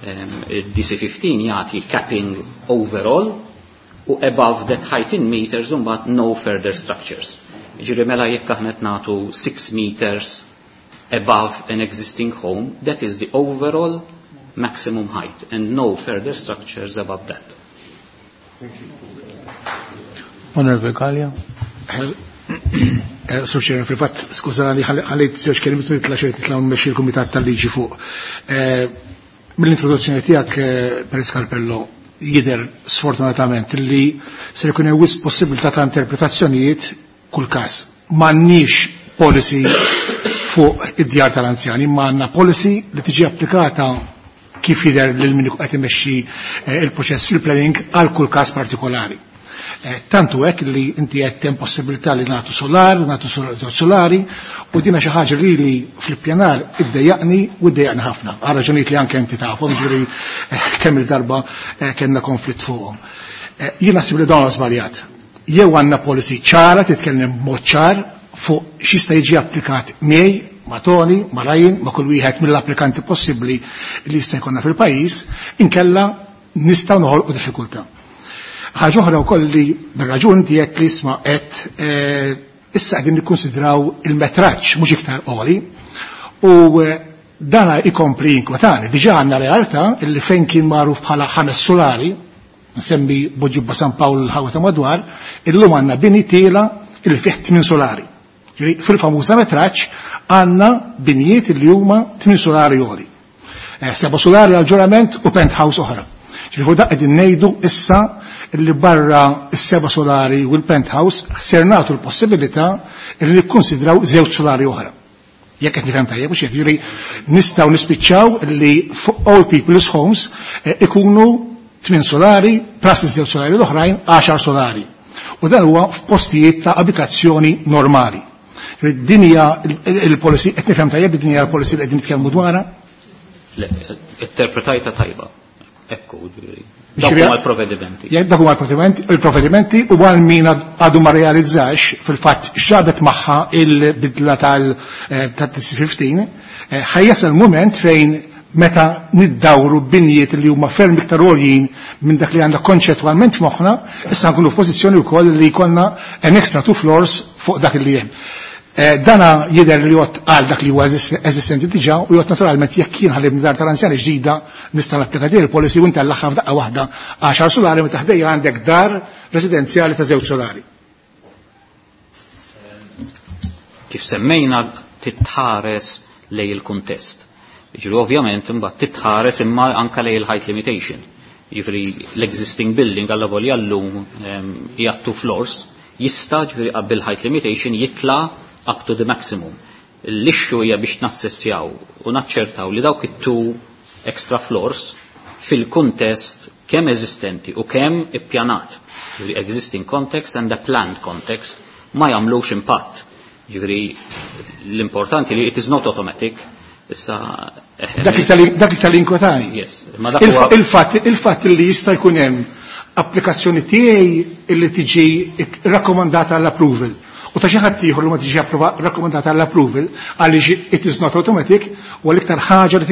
DC-15 jagħti capping overall u above that height in meters mbagħad no further structures. Ġifieri mela jekk aħna qed nagħtu 6 meters above an existing home, that is the overall maximum height and no further structures above that. Honorable Kalia. Sur Chair, fil-fatt, skużani, ħallejt żewġ kelmiet nitla' xejn nitla' mmexxi l-Kumitat tal-Liġi fuq. Mill-introduzzjoni tiegħek, Perit Scarpello, jidher sfortunatament li se jkun hemm wisq possibilità ta' interpretazzjonijiet kull każ. M'għandniex policy fuq id-djar tal-anzjani, ma għandna policy li tiġi applikata kif jidher lil min qed imexxi il-proċess fil-planning għal kull każ partikolari. Tantu hekk li inti qed hemm possibilità li nagħtu solar, nagħtu żewġ solari, u dina xi ħaġa li li fl-ippjanar iddejjaqni u iddejjaqni ħafna. Għal raġunijiet li anke inti tafhom, ġifieri kemm il-darba kellna konflitt fuqhom. Jien naħseb li dawn żbaljat. Jew għandna policy ċara titkellem b'mod ċar fuq x'jista' jiġi applikat miegħi, ma' Tony, ma' Ryan, ma' kull wieħed mill-applikanti possibbli li jista' jkollna fil-pajjiż, inkella nistgħu noħolqu diffikultà. Ħaġa oħra wkoll li bir-raġun tiegħek li isma' qed issa qegħdin nikkonsidraw il-metraġġ mhux iktar qoli u dana ikompli jinkwetani. Diġà għandna realtà li fejn kien magħruf bħala 5 solari, nsemmi Buġibba San Pawl l-ħawa ta' madwar, illum għandna bini tiela illi fih 8 solari. Ġifieri fil-famuża metraġġ għandna binijiet li huma 8 solari għoli. 7 solari għal ġurament u penthouse oħra. Ġifieri fuq dak qegħdin ngħidu issa li barra s-7 solari u l-penthouse ser nagħtu l-possibilità li nikkonsidraw 2 solari oħra. Jekk qed nifhem tajjeb, mhux hekk, ġifieri nistgħu nispiċċaw li fuq all people's homes ikunu 8 solari, plus iż-żewġ solari l-oħrajn 10 solari. U dan huwa f'postijiet ta' abitazzjoni normali. Din hija il-policy, qed nifhem tajjeb din hija l-policy li qegħdin nitkellmu dwarha? Le, interpretajta tajba. Ekku, ġifieri. Dawk huma l-provvedimenti. Jekk dak huma l-provvedimenti u għal min għadu ma realizzax fil-fatt x'ġabet magħha il-bidla tal-TC15, ħajjasal mument fejn meta niddawru binjiet li huma ferm iktar għoljin minn dak li għandha konċettwalment f'moħħna, issa nkunu f'pożizzjoni wkoll li jkollna an extra 2 floors fuq dak li hemm. Dana jidher li jgħod għal dak li huwa eżistenti diġà u jgħod naturalment jekk jien ħalib dar tal-anzjani ġdida nista' napplika din il-policy u ntellagħha f'daqqa waħda 10 solari meta ħdejja għandek dar residenzjali ta' 2 solari. Kif semmejna titħares lej il-kuntest. Ġifieri ovvjament imbagħad titħares imma anke lej il-height limitation. Ġifieri l-existing building alla volja llum hija 2 floors jista' ġifieri qabel height limitation jitla' up to the maximum. L-issue hija biex nassessjaw u naċċertaw li dawk it-2 extra floors fil-kuntest kemm eżistenti u kemm ippjanat, ġifieri existing context and the planned context, ma jagħmlux impatt. Ġifieri l-importanti li it is not automatic. Issa, Dak li tal-inkwetani. Yes, ma dak huwa Il-fatt li jista' jkun hemm applikazzjoni tiegħi li tiġi rakkomandata għall-approval. U ta' xi ħadd ieħor li ma tiġi rakkomandata għall-approval għaliex it is not automatic u l-iktar ħaġa li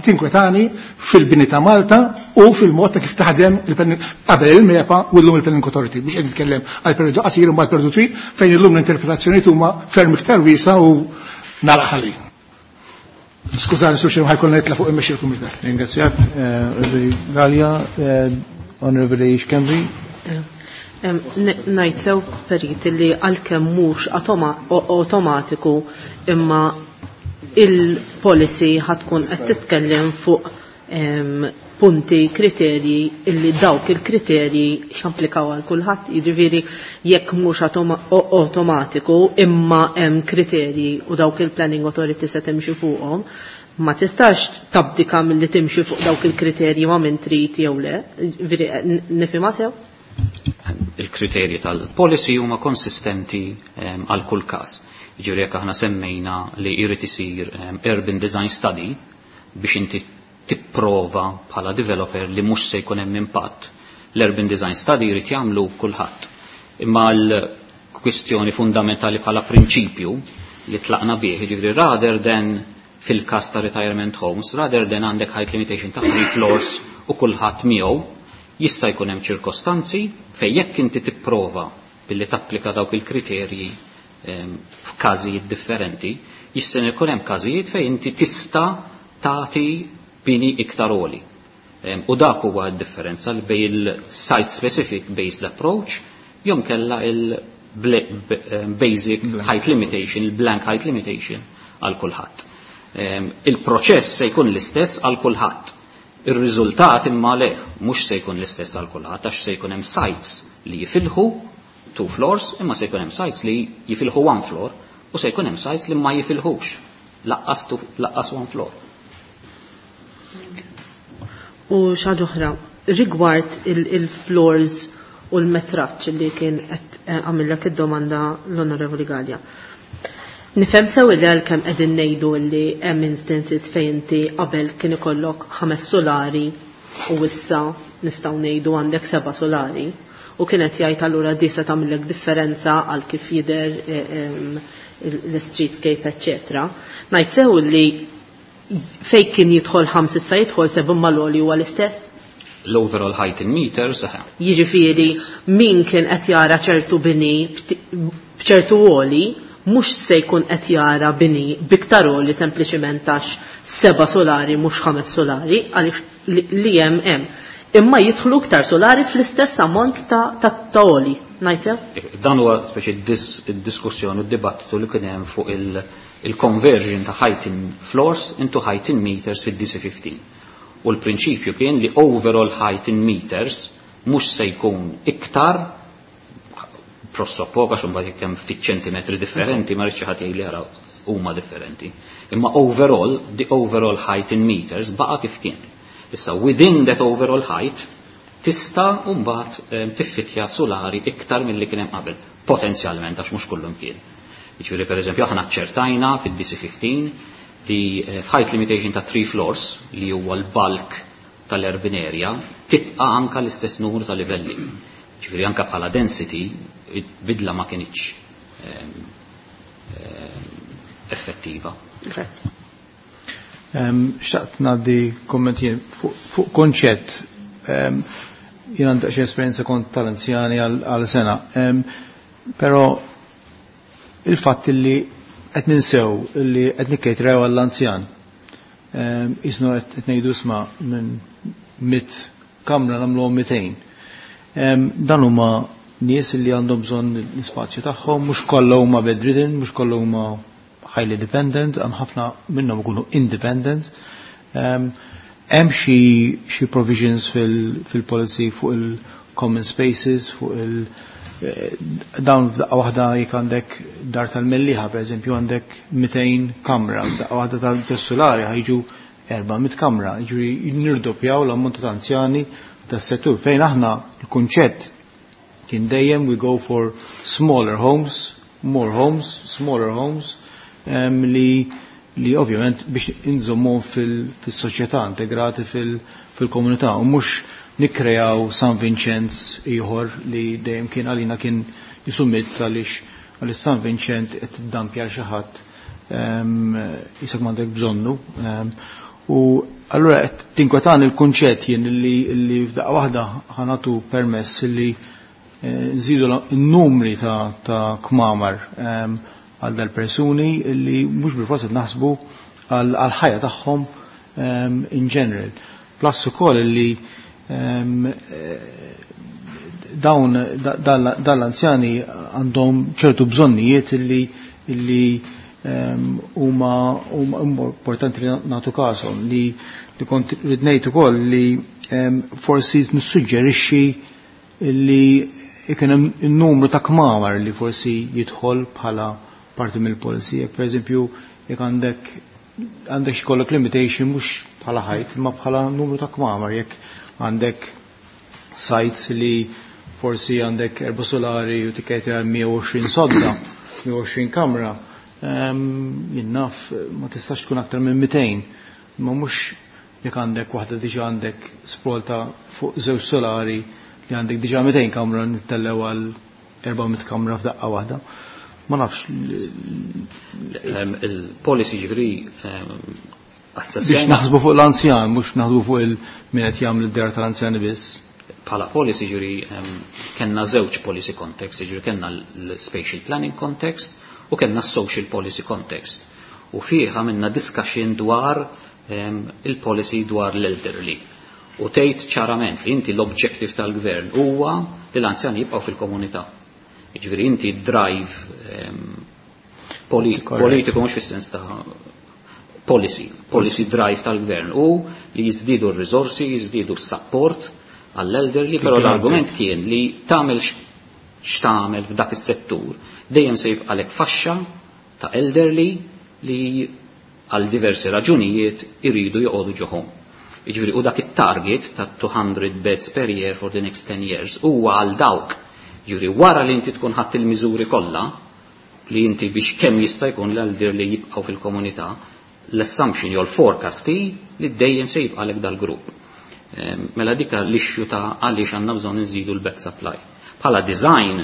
tinkwetani fil-bini ta' Malta u fil-mod ta' kif taħdem qabel il-MEPA u llum il-Planning Authority. Biex qed nitkellem għal periodu qasir u għal periodu twil fejn illum l-interpretazzjonijiet huma ferm iktar wiesa u nagħlaq ħalli. Skużani, Sur Chairman, ħajkollna nitla' fuq immexxi l-Kumitat. Ringrazzjak, Onorevoli Galea, Onorevoli Schembri. Ngħid sew Perit li għalkemm mhux automatiku imma il-policy ħatkun qed titkellem fuq punti, kriterji illi dawk il-kriterji xamplikaw għal kulħadd, jiġifieri jekk mhux automatiku imma hemm kriterji u dawk il-planning authority se timxi fuqhom, ma tistax tabdika milli timxi fuq dawk il-kriterji ma minn trid jew le, nifhimha sew? Il-kriterji tal-policy huma konsistenti għal kull każ. Jiġifieri jekk aħna semmejna li jrid isir urban design study biex inti tipprova bħala developer li mhux se jkun hemm impatt. L-urban design study jrid jagħmlu kulħadd. Imma l-kwistjoni fundamentali bħala prinċipju li tlaqna bih, jiġifieri rather than fil-każ ta' retirement homes, rather than għandek height limitation ta' three floors u kulħadd miegħu, jista' jkun hemm ċirkostanzi fejn jekk inti tipprova billi tapplika dawk il-kriterji f'każijiet differenti, jista' jkun hemm każijiet fejn inti tista' tagħti bini iktar għoli. U dak huwa d-differenza li bejn il-site specific based approach jew kella il-basic height limitation, il-blank height limitation għal kulħadd. Il-proċess se jkun l-istess għal kulħadd. Ir-riżultat imma le, mhux se jkun l-istess għal kulħadd għax se jkun hemm sites li jifilħu two floors, imma se jkun hemm sites li jifilħu one floor u se jkun hemm sites li ma jifilħux laqqas one floor. U xaġa oħra, rigward il-floors u l-metraġġ li kien qed għamillek id-domanda l-Onorevoli Gallia. Nifhem sew li għalkemm qegħdin ngħidu li hemm instances fejn inti qabel kien ikollok 5 solari u issa nistgħu ngħidu għandek 7 solari u kienet jgħid allura di se tagħmilek differenza għal kif jidher l-streetscape, eċċetera. Ngħid sew li fej kien jidħol 5 issa jidħol 7 mal-għoli huwa l-istess? L-overall height in meters, eħe. Jiġifieri min kien qed jara ċertu bini b'ċertu għoli, mhux se jkun qed jara bini biktar għoli sempliċiment għax 7 solari mhux 5 solari, għaliex li hemm hemm. Imma jidħlu iktar solari fl-istess ammont ta' għoli, ngħid sew? Dan huwa speċi id-diskussjoni u d-dibattitu li kien hemm fuq il-conversion ta' height in floors into height in meters fid-DC15. U l-prinċipju kien li overall height in meters mhux se jkun iktar prossopoka għax imbagħad jekk hemm ftit ċentimetri differenti ma rridx ħadd jgħid li ara huma differenti. Imma overall, the overall height in meters baqa' kif kien. Issa within that overall height tista' mbagħad tiffitja solari iktar milli kien hemm qabel, potenzjalment għax mhux kullum kien. Jiġifieri pereżempju aħna ċertajna fid-DC15 li f'height limitation ta' 3 floors li huwa l-bulk tal-urban area tibqa' anka l-istess numru ta' livelli. Jiġifieri anka bħala density bidla ma kienx effettiva. Grazie. Xtaqt ngħaddi kommenti fuq konċett. Jien għandi xi esperjenza kont tal-anzjani għal sena. Però il-fatt li qed ninsew li qed nikkejtrew għall-anzjan. Isnu qed ngħidu isma' minn 100 kamra nagħmluhom 200. Dan huma nies li għandhom bżonn l-ispazju tagħhom, mhux kollha huma bedridden, mhux kollha huma highly dependent, hemm ħafna minnhom ikunu independent. Hemm xi provisions fil-policy fuq il-common spaces, fuq il- dawn f'daqqa waħda jekk għandek dar tal-Mellieħa, pereżempju għandek 200 kamra, f'daqqa waħda tal-Sulari ħajġu 400 kamra, jiġifieri nirdoppjaw l-ammont ta' anzjani tas-settur. Fejn aħna l-kunċett kien dejjem we go for smaller homes, more homes, smaller homes, li ovvjament biex inżommu fil-soċjetà, integrati fil-komunità, u mhux nikkrejaw San Vincenz ieħor li dejjem kien għalina kien jisummit għaliex San Vincenz qed tiddampja xi ħadd isek m'għandek bżonnu. U allura qed tinkwetan il-kunċett jien li f'daqqa waħda ħanatu permess li nżidu n-numri ta' kmamar għal dal-persuni li mhux bil-forsi naħsbu għal ħajja tagħhom in general. Plus ukoll li dawn dal-anzjani għandhom ċertu bżonnijiet li Huma importanti li nagħtu każhom li li kont rid ngħid ukoll li forsi nissuġġerixxi li ikun hemm in-numru ta' kmamar li forsi jidħol bħala parti mill-policy. Jekk pereżempju jekk għandek x'kollok limitation mhux bħala ħajt imma bħala numru ta' kmamar, jekk għandek sites li forsi għandek erba' solari u tikketi għal 120 sodda, 120 kamra, jien naf ma tistax tkun aktar minn 200, ma mhux jekk għandek waħda diġà għandek sprawl ta' fuq żewġ solari li għandek diġà 200 kamra nittellew għal 400 kamra f'daqqa waħda. Ma nafx. Il-policy ġifieri biex naħsbu fuq l-anzjan, mhux naħsbu fuq il-min qed jagħmel id-dar tal-anzjani biss. Bħala policy ġifieri kellna żewġ policy context, ġifieri kellna l-spatial planning context u kellna social policy context. U fih għamilna discussion dwar il-policy dwar l-elderly. U tgħid ċarament li inti l-objective tal-gvern huwa li l-anzjani jibqgħu fil-komunità. Jiġifieri inti drive politiku mhux fis-sens ta' policy drive tal-gvern u li jiżdiedu r-riżorsi, jiżdiedu s-support għall-elderly, però l-argument kien li tagħmel x'tagħmel f'dak is-settur, dejjem se jibqalek faxxa ta' elderly li għal diversi raġunijiet iridu joqogħdu ġoħom. Jiġifieri u dak it-target ta' 200 beds per year for the next 10 years huwa għal dawk. Jiġifieri wara li inti tkun ħadd il-miżuri kollha li inti biex kemm jista' jkun l-elderly jibqgħu fil-komunità, l-assumption jew l-forecast hi li dejjem se jibqalek dal-grupp. Mela dika l-issue ta' għaliex għandna bżonn nżidu l-bed supply. Bħala design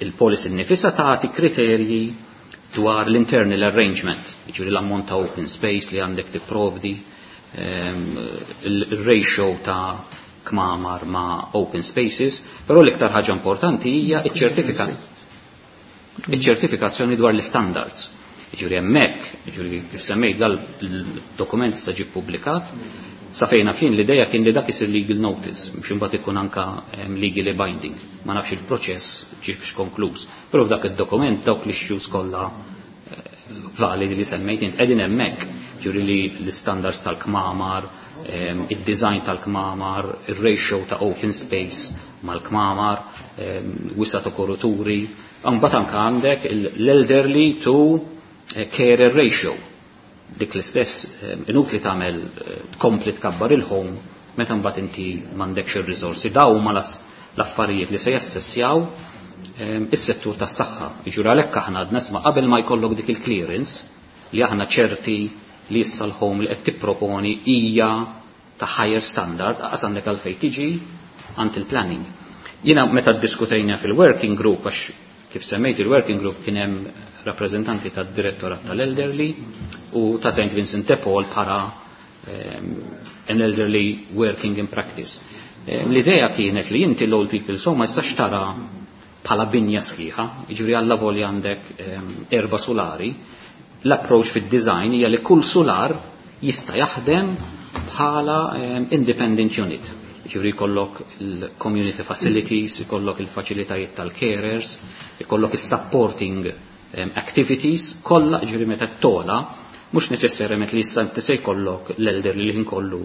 il-policy nnifisha tagħti kriterji dwar l-internal arrangement, jiġifieri l-ammont ta' open space li għandek tipprovdi, il-ratio ta' kmamar ma' open spaces, però l-iktar ħaġa importanti hija iċ-ċertifikazzjoni dwar l-standards. Jiġifieri hemmhekk, jiġifieri kif semmejt dal-dokument sta ġie ppubblikat, sa fejna fin l-ideja kien li dak isir legal notice, biex imbagħad ikun anka legally binding. Ma nafx il-proċess ġiex konkluż. Però f'dak id-dokument dawk l-issues kollha validi li semmejt int qegħdin hemmhekk, ġifieri li l-standards tal-kmamar, id-design tal-kmamar, ir-ratio ta' open space mal-kmamar, wisa ta' koruturi, mbagħad anke għandek l-elderly to carer ratio. Dik l-istess inutli tagħmel tkompli tkabbar il-home meta mbagħad inti m'għandekx ir-riżorsi. Daw huma l-affarijiet li se jassessjaw is-settur tas-saħħa. Jiġifieri għalhekk aħna għadna isma' qabel ma jkollok dik il-clearance li aħna ċerti li issa l-home li qed tipproponi hija ta' higher standard, aqas għandek għalfejn tiġi għand il-planning. Jiena meta ddiskutejna fil-working group, għax kif semmejt il-working group kien hemm rappreżentanti tad-direttorat tal-elderly u ta' St. Vincent de Paul bħala an elderly working in practice. L-idea kienet li inti l-old people so ma jistax tara bħala binja sħiħa, jiġifieri alla volja għandek 4 solari, l-approach fid-design hija li kull solar jista' jaħdem bħala independent unit. Jiġifieri jkollok il-community facilities, jkollok il-faċilitajiet tal-carers, jkollok is-supporting activities, kollha jiġifieri meta tola, mhux neċessarjament li issa inti se jkollok l-elderly li nkollu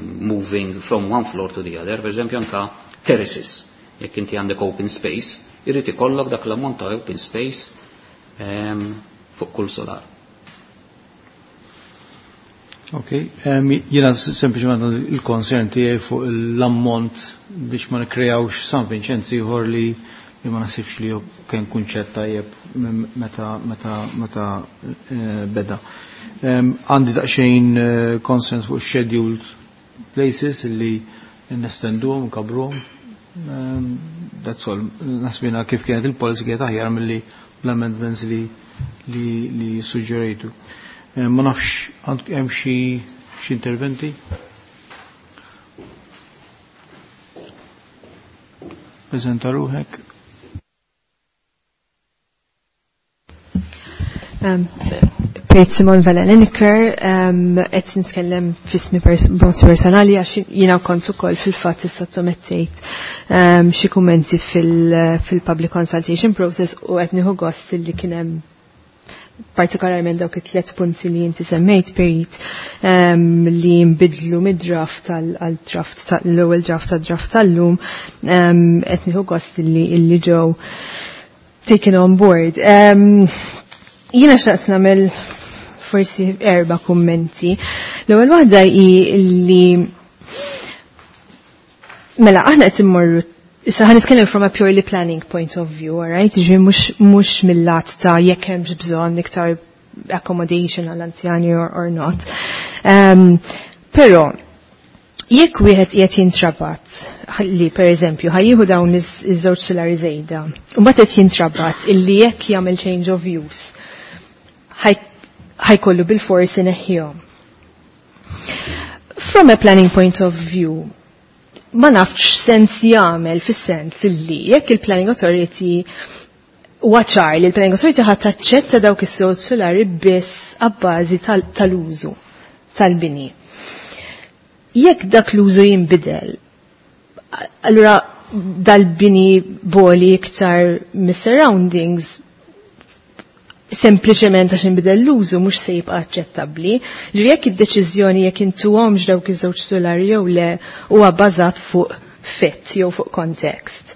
moving from one floor to the other, per eżempju anka terraces. Jekk inti għandek open space, irrid ikollok dak l-ammont ta' open space fuq kull solar. Ok, jiena sempliċement il-konsern tiegħi fuq l-ammont biex ma nikkreawx San Vincenz ieħor li ma nasibx li kien kunċett tajjeb meta beda. Għandi daqsxejn concerns fuq scheduled places li nestenduhom, nkabruhom. That's all. Nasbina kif kienet il-policy kienet aħjar milli l-amendments li suġġerejtu. Ma nafx hemm xi interventi? Preżenta ruħek. Pejt Simon Vella Lenicker, qed nitkellem f'ismi b'mod personali għax jiena kont ukoll fil-fatt issottomettejt xi kummenti fil-public consultation process u qed nieħu gost li kien hemm partikolarment dawk it-tlet punti li inti semmejt Perit, li nbidlu mid-draft għal-draft tal-ewwel draft tad-draft tal-lum, qed nieħu gost li ġew taken on board. Jiena xtaqt nagħmel forsi erba' kummenti. L-ewwel waħda hi li mela aħna qed immorru. Issa ħa nitkellem from a purely planning point of view, alright? Ġifieri mhux mill-lat ta' jekk hemmx bżonn iktar accommodation għall-anzjani or not. Però jekk wieħed qiegħed jintrabat li pereżempju ħa jieħu dawn iż-żewġ sulari żejda, u mbagħad qed jintrabat illi jekk jagħmel change of use ħa jkollu bil-forsi neħħihom. From a planning point of view, ma nafx sens jagħmel, fis-sens illi jekk il-planning authority huwa ċar li l-planning authority ħadd taċċetta dawk is-żewġ sulari biss abbażi tal-użu tal-bini. Jekk dak l-użu jinbidel, allura dal-bini boli iktar mis-surroundings sempliċement għax inbidel l-użu mhux se jibqa' aċċettabbli. Ġifieri jekk id-deċiżjoni jekk intuhomx dawk iż-żewġ sulari jew le huwa bbażat fuq fit jew fuq kontekst,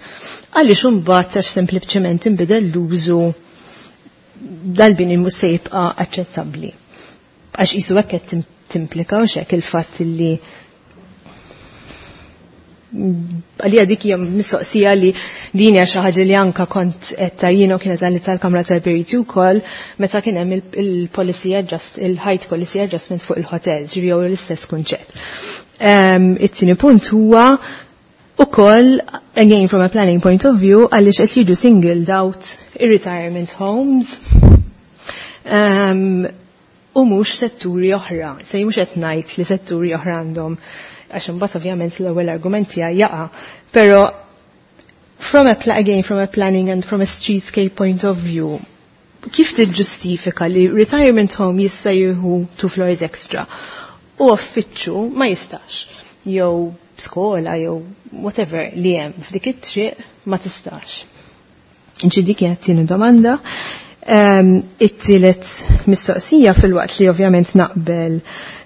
għaliex imbagħad għax sempliċement inbidel l-użu dal-bini mhux se jibqa' aċċettabbli? Għax qisu hekk qed timplika u hekk il-fatt li għalija dik hija mistoqsija li din hija xi ħaġa li anka kont qed jiena kienet għalli tal-Kamra tal-Periti wkoll meta kien hemm il-policy adjust il-height policy adjustment fuq il-hotel, ġifieri jew l-istess kunċett. It-tieni punt huwa ukoll, again from a planning point of view, għaliex qed jiġu singled out ir-retirement homes u mhux setturi oħra. Se mhux qed ngħid li setturi oħra għandhom, għax imbagħad ovvjament l-ewwel argument tiegħi jaqa', però from a again from a planning and from a streetscape point of view, kif tiġġustifika li retirement home jista' jieħu two floors extra u uffiċċju ma jistax, jew skola jew whatever li hemm f'dik it-triq ma tistax? Ġi dik hija t-tieni domanda. It-tielet mistoqsija, filwaqt li ovvjament naqbel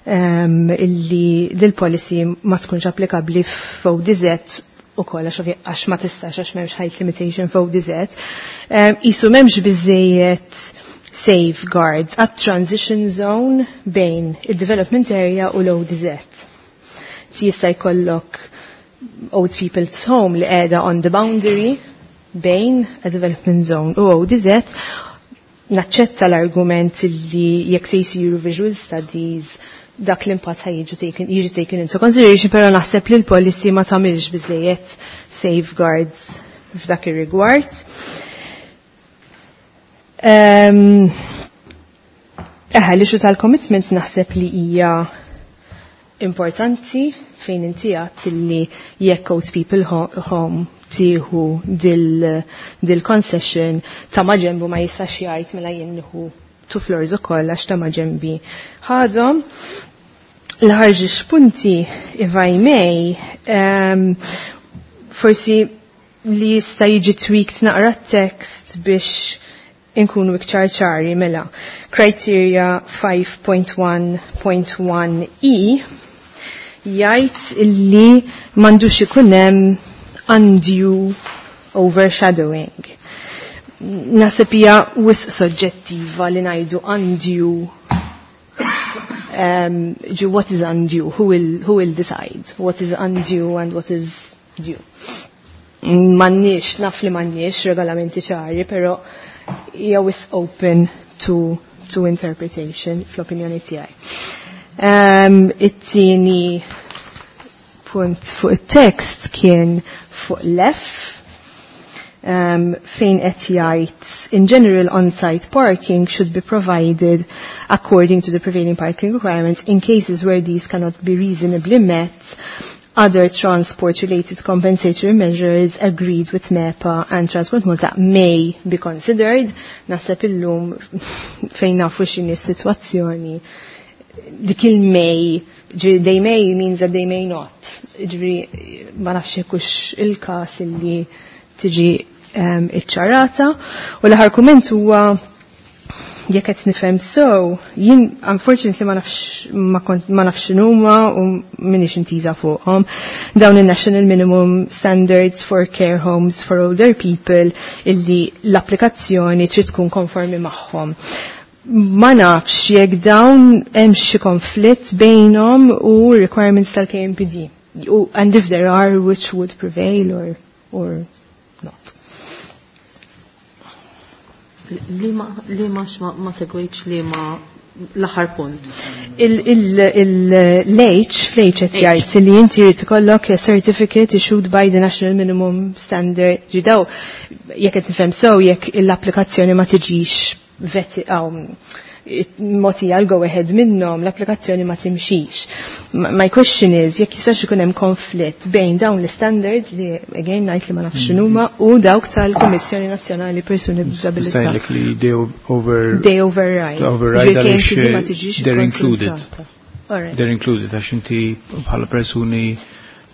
illi dil-policy ma tkunx applikabbli f'ODZ u koll għax ma tistax, għax m'hemmx height limitation f'ODZ. Qisu m'hemmx biżejjed safeguards għat transition zone bejn il-development area u l-ODZ. Jista' jkollok old people's home li qiegħda on the boundary bejn a development zone u ODZ. Naċċetta l-argument li jekk se jsiru visual studies dak l-impatt ħa jiġi taken into consideration, però naħseb li l-policy ma tagħmilx biżejjed safeguards f'dak ir-rigward. Eħe, l-issue tal-commitment naħseb li hija importanti fejn inti għadt li jekk old people home tieħu dil concession, ta' maġenbu ma jistax jgħid mela jien nieħu two floors ukoll għax ta' maġenbi ħadhom. L-aħħar punti, if I may, forsi li jista' jiġi tweaked naqra text biex inkunu iktar ċari. Mela, criteria 5.1.1 e jgħid illi m'għandux ikun hemm undue overshadowing. Naħseb hija wisq soġġettiva li ngħidu undue. Ġi what is undue? Who will decide what is undue and what is due? M'għandniex, naf li m'għandniex regolamenti ċari, però hija wisq open to interpretation fl-opinjoni tiegħi. It-tieni punt fuq it-text kien fuq l-F, fejn qed jgħid, "In general, on-site parking should be provided according to the prevailing parking requirements. In cases where these cannot be reasonably met, other transport-related compensatory measures agreed with MEPA and Transport Malta may be considered." Naħseb illum fejn nafu x'inhi s-sitwazzjoni, dik il-may, they may means that they may not. Ġifieri, ma nafx hux il-kas illi tiġi iċċarata. U l-aħħar kumment huwa jekk qed nifhem so, jien unfortunately ma nafx ma kont ma nafx x'inhuma u m'iniex intiża fuqhom. Dawn in-National Minimum Standards for Care Homes for Older People illi l-applikazzjoni trid tkun konformi magħhom. Ma nafx jekk dawn hemm xi konflitt bejnhom u requirements tal-KMPD. U and if there are, which would prevail or not. Li ma li ma ma segwejtx li ma l-aħħar punt. Il-H, fl-H qed jgħid li inti jrid ikollok a certificate issued by the National Minimum Standard. Ġidaw, jekk qed nifhem sew jekk l-applikazzjoni ma tiġix veti mogħtija l-go ahead minnhom, l-applikazzjoni ma timxix. My question is, jekk jistax ikun hemm konflitt bejn dawn l-standards li again ngħid li ma nafx x'inhuma u dawk tal-Kummissjoni Nazzjonali Persuni b'Diżabilità. Ngħidlek li they over They override. Override Ġifieri għaliex KMPD ma tiġix they're included. ikkonsultata. All right. They're included għax inti bħala persuni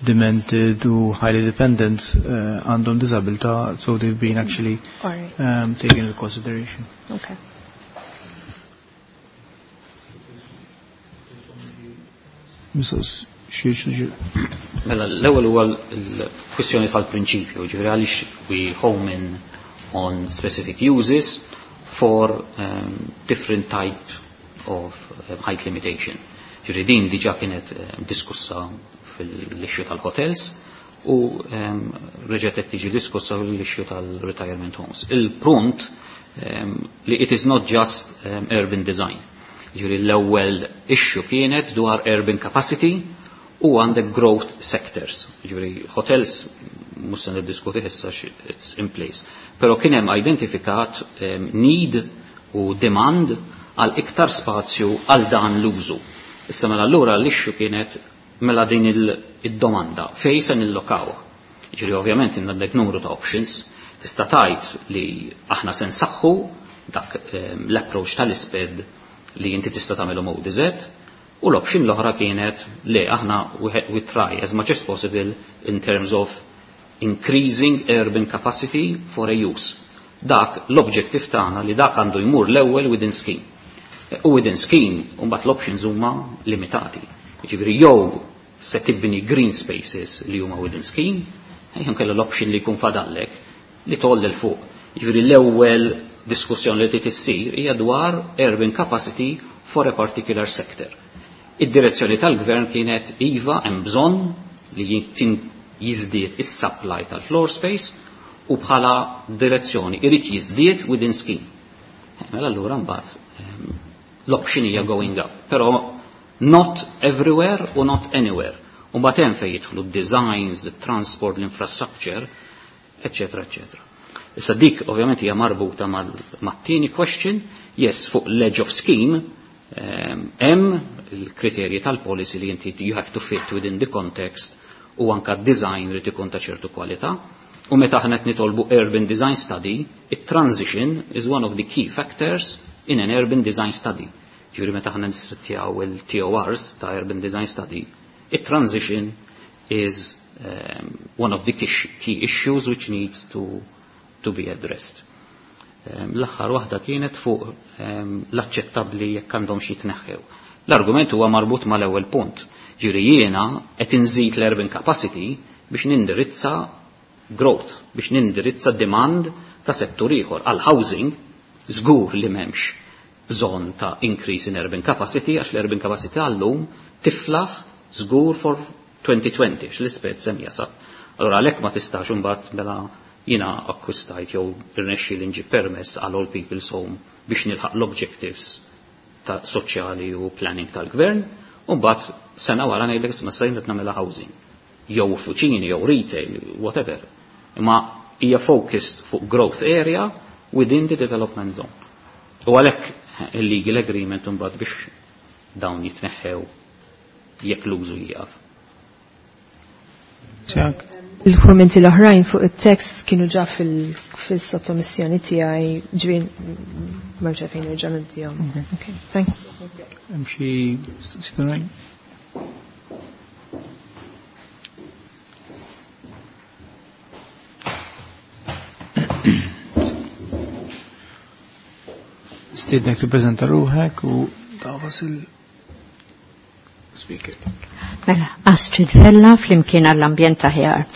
demented u highly dependent għandhom disabilità, so they've been actually All right. taken into consideration. Okay. Mrs. Xiex, Mela, l-ewwel huwa l-kwistjoni tal-prinċipju, ġifieri għaliex we home in on specific uses for different type of height limitation. Ġifieri din diġà kienet diskussa fil-issue tal-hotels u reġgħet qed tiġi diskussa fil-issue tal-retirement homes. Il-punt li it is not just urban design. Ġifieri l-ewwel issue kienet dwar urban capacity u għandek growth sectors. Ġifieri hotels mhux se niddiskuti issa it's in place. Però kien hemm identifikat need u demand għal iktar spazju għal dan l-użu. Issa mela allura l-issue kienet mela din id-domanda fejn se nillokawha. Ġifieri ovvjament għandek numru ta' options, tista' tgħid li aħna se nsaħħu dak l-approach tal-isped li inti tista' tagħmilhom ODZ, u l-option l-oħra kienet li aħna we try as much as possible in terms of increasing urban capacity for a use. Dak l-objective tagħna li dak għandu jmur l-ewwel within scheme. U within scheme, mbagħad l-options huma limitati. Jiġifieri jew se tibni green spaces li huma within scheme, jew kellha l-option li jkun fadallek li toll il fuq. Jiġifieri l-ewwel diskussjoni li trid issir hija dwar urban capacity for a particular sector. Id-direzzjoni tal-gvern kienet iva hemm bżonn li jiżdied is-supply tal-floor space u bħala direzzjoni irid jiżdied within scheme. Mela allura mbagħad l-option hija going up, però not everywhere u not anywhere. U mbagħad hemm fejn jidħlu d-designs, the transport, l-infrastructure, eccetera, eccetera. Issa dik ovvjament hija marbuta mat-tieni question, yes, fuq ledge of scheme, hemm il-kriterji tal-policy li inti you have to fit within the context u anka design rid ikun ta' ċertu kwalità. U meta aħna qed nitolbu urban design study, it-transition is one of the key factors in an urban design study. Ġifieri meta aħna nissettjaw il-TORs ta' urban design study, it-transition is one of the key issues which needs to be addressed. L-aħħar waħda kienet fuq l-aċċettabbli jekk għandhom xi jitneħħew. L-argument huwa marbut mal-ewwel punt. Ġifieri jiena qed inżid l-urban capacity biex nindirizza growth, biex nindirizza demand ta' settur ieħor. Għal housing żgur li m'hemmx bżonn ta' increase in urban capacity għax l-urban capacity għallum tiflaħ żgur for 2020 għax l-isped sem jasal. Allora għalhekk ma tistax imbagħad mela jiena akkwistajt jew irnexxi li nġib permess għal All People's Home biex nilħaq l-objectives ta' soċjali u planning tal-gvern, u mbagħad sena wara ngħidlek isma' sejn qed nagħmilha housing. Jew uffiċini, jew retail, whatever. Imma hija focused fuq growth area within the development zone. U għalhekk il-legal agreement imbagħad biex dawn jitneħħew jekk l-użu jieqaf. Tjak. Il-kommenti l-oħrajn fuq it-tekst kienu ġa fil-sottomissjoni tiegħi, ġifieri m'hemmx għalfejn nerġa' nibdihom. Okay. Okay, thank you. Hemm xi mistoqsijiet oħrajn? Nistiednek tippreżenta ruħek u tagħfas il-speaker. Mela, Astrid Vella flimkien għall-ambjent aħjar.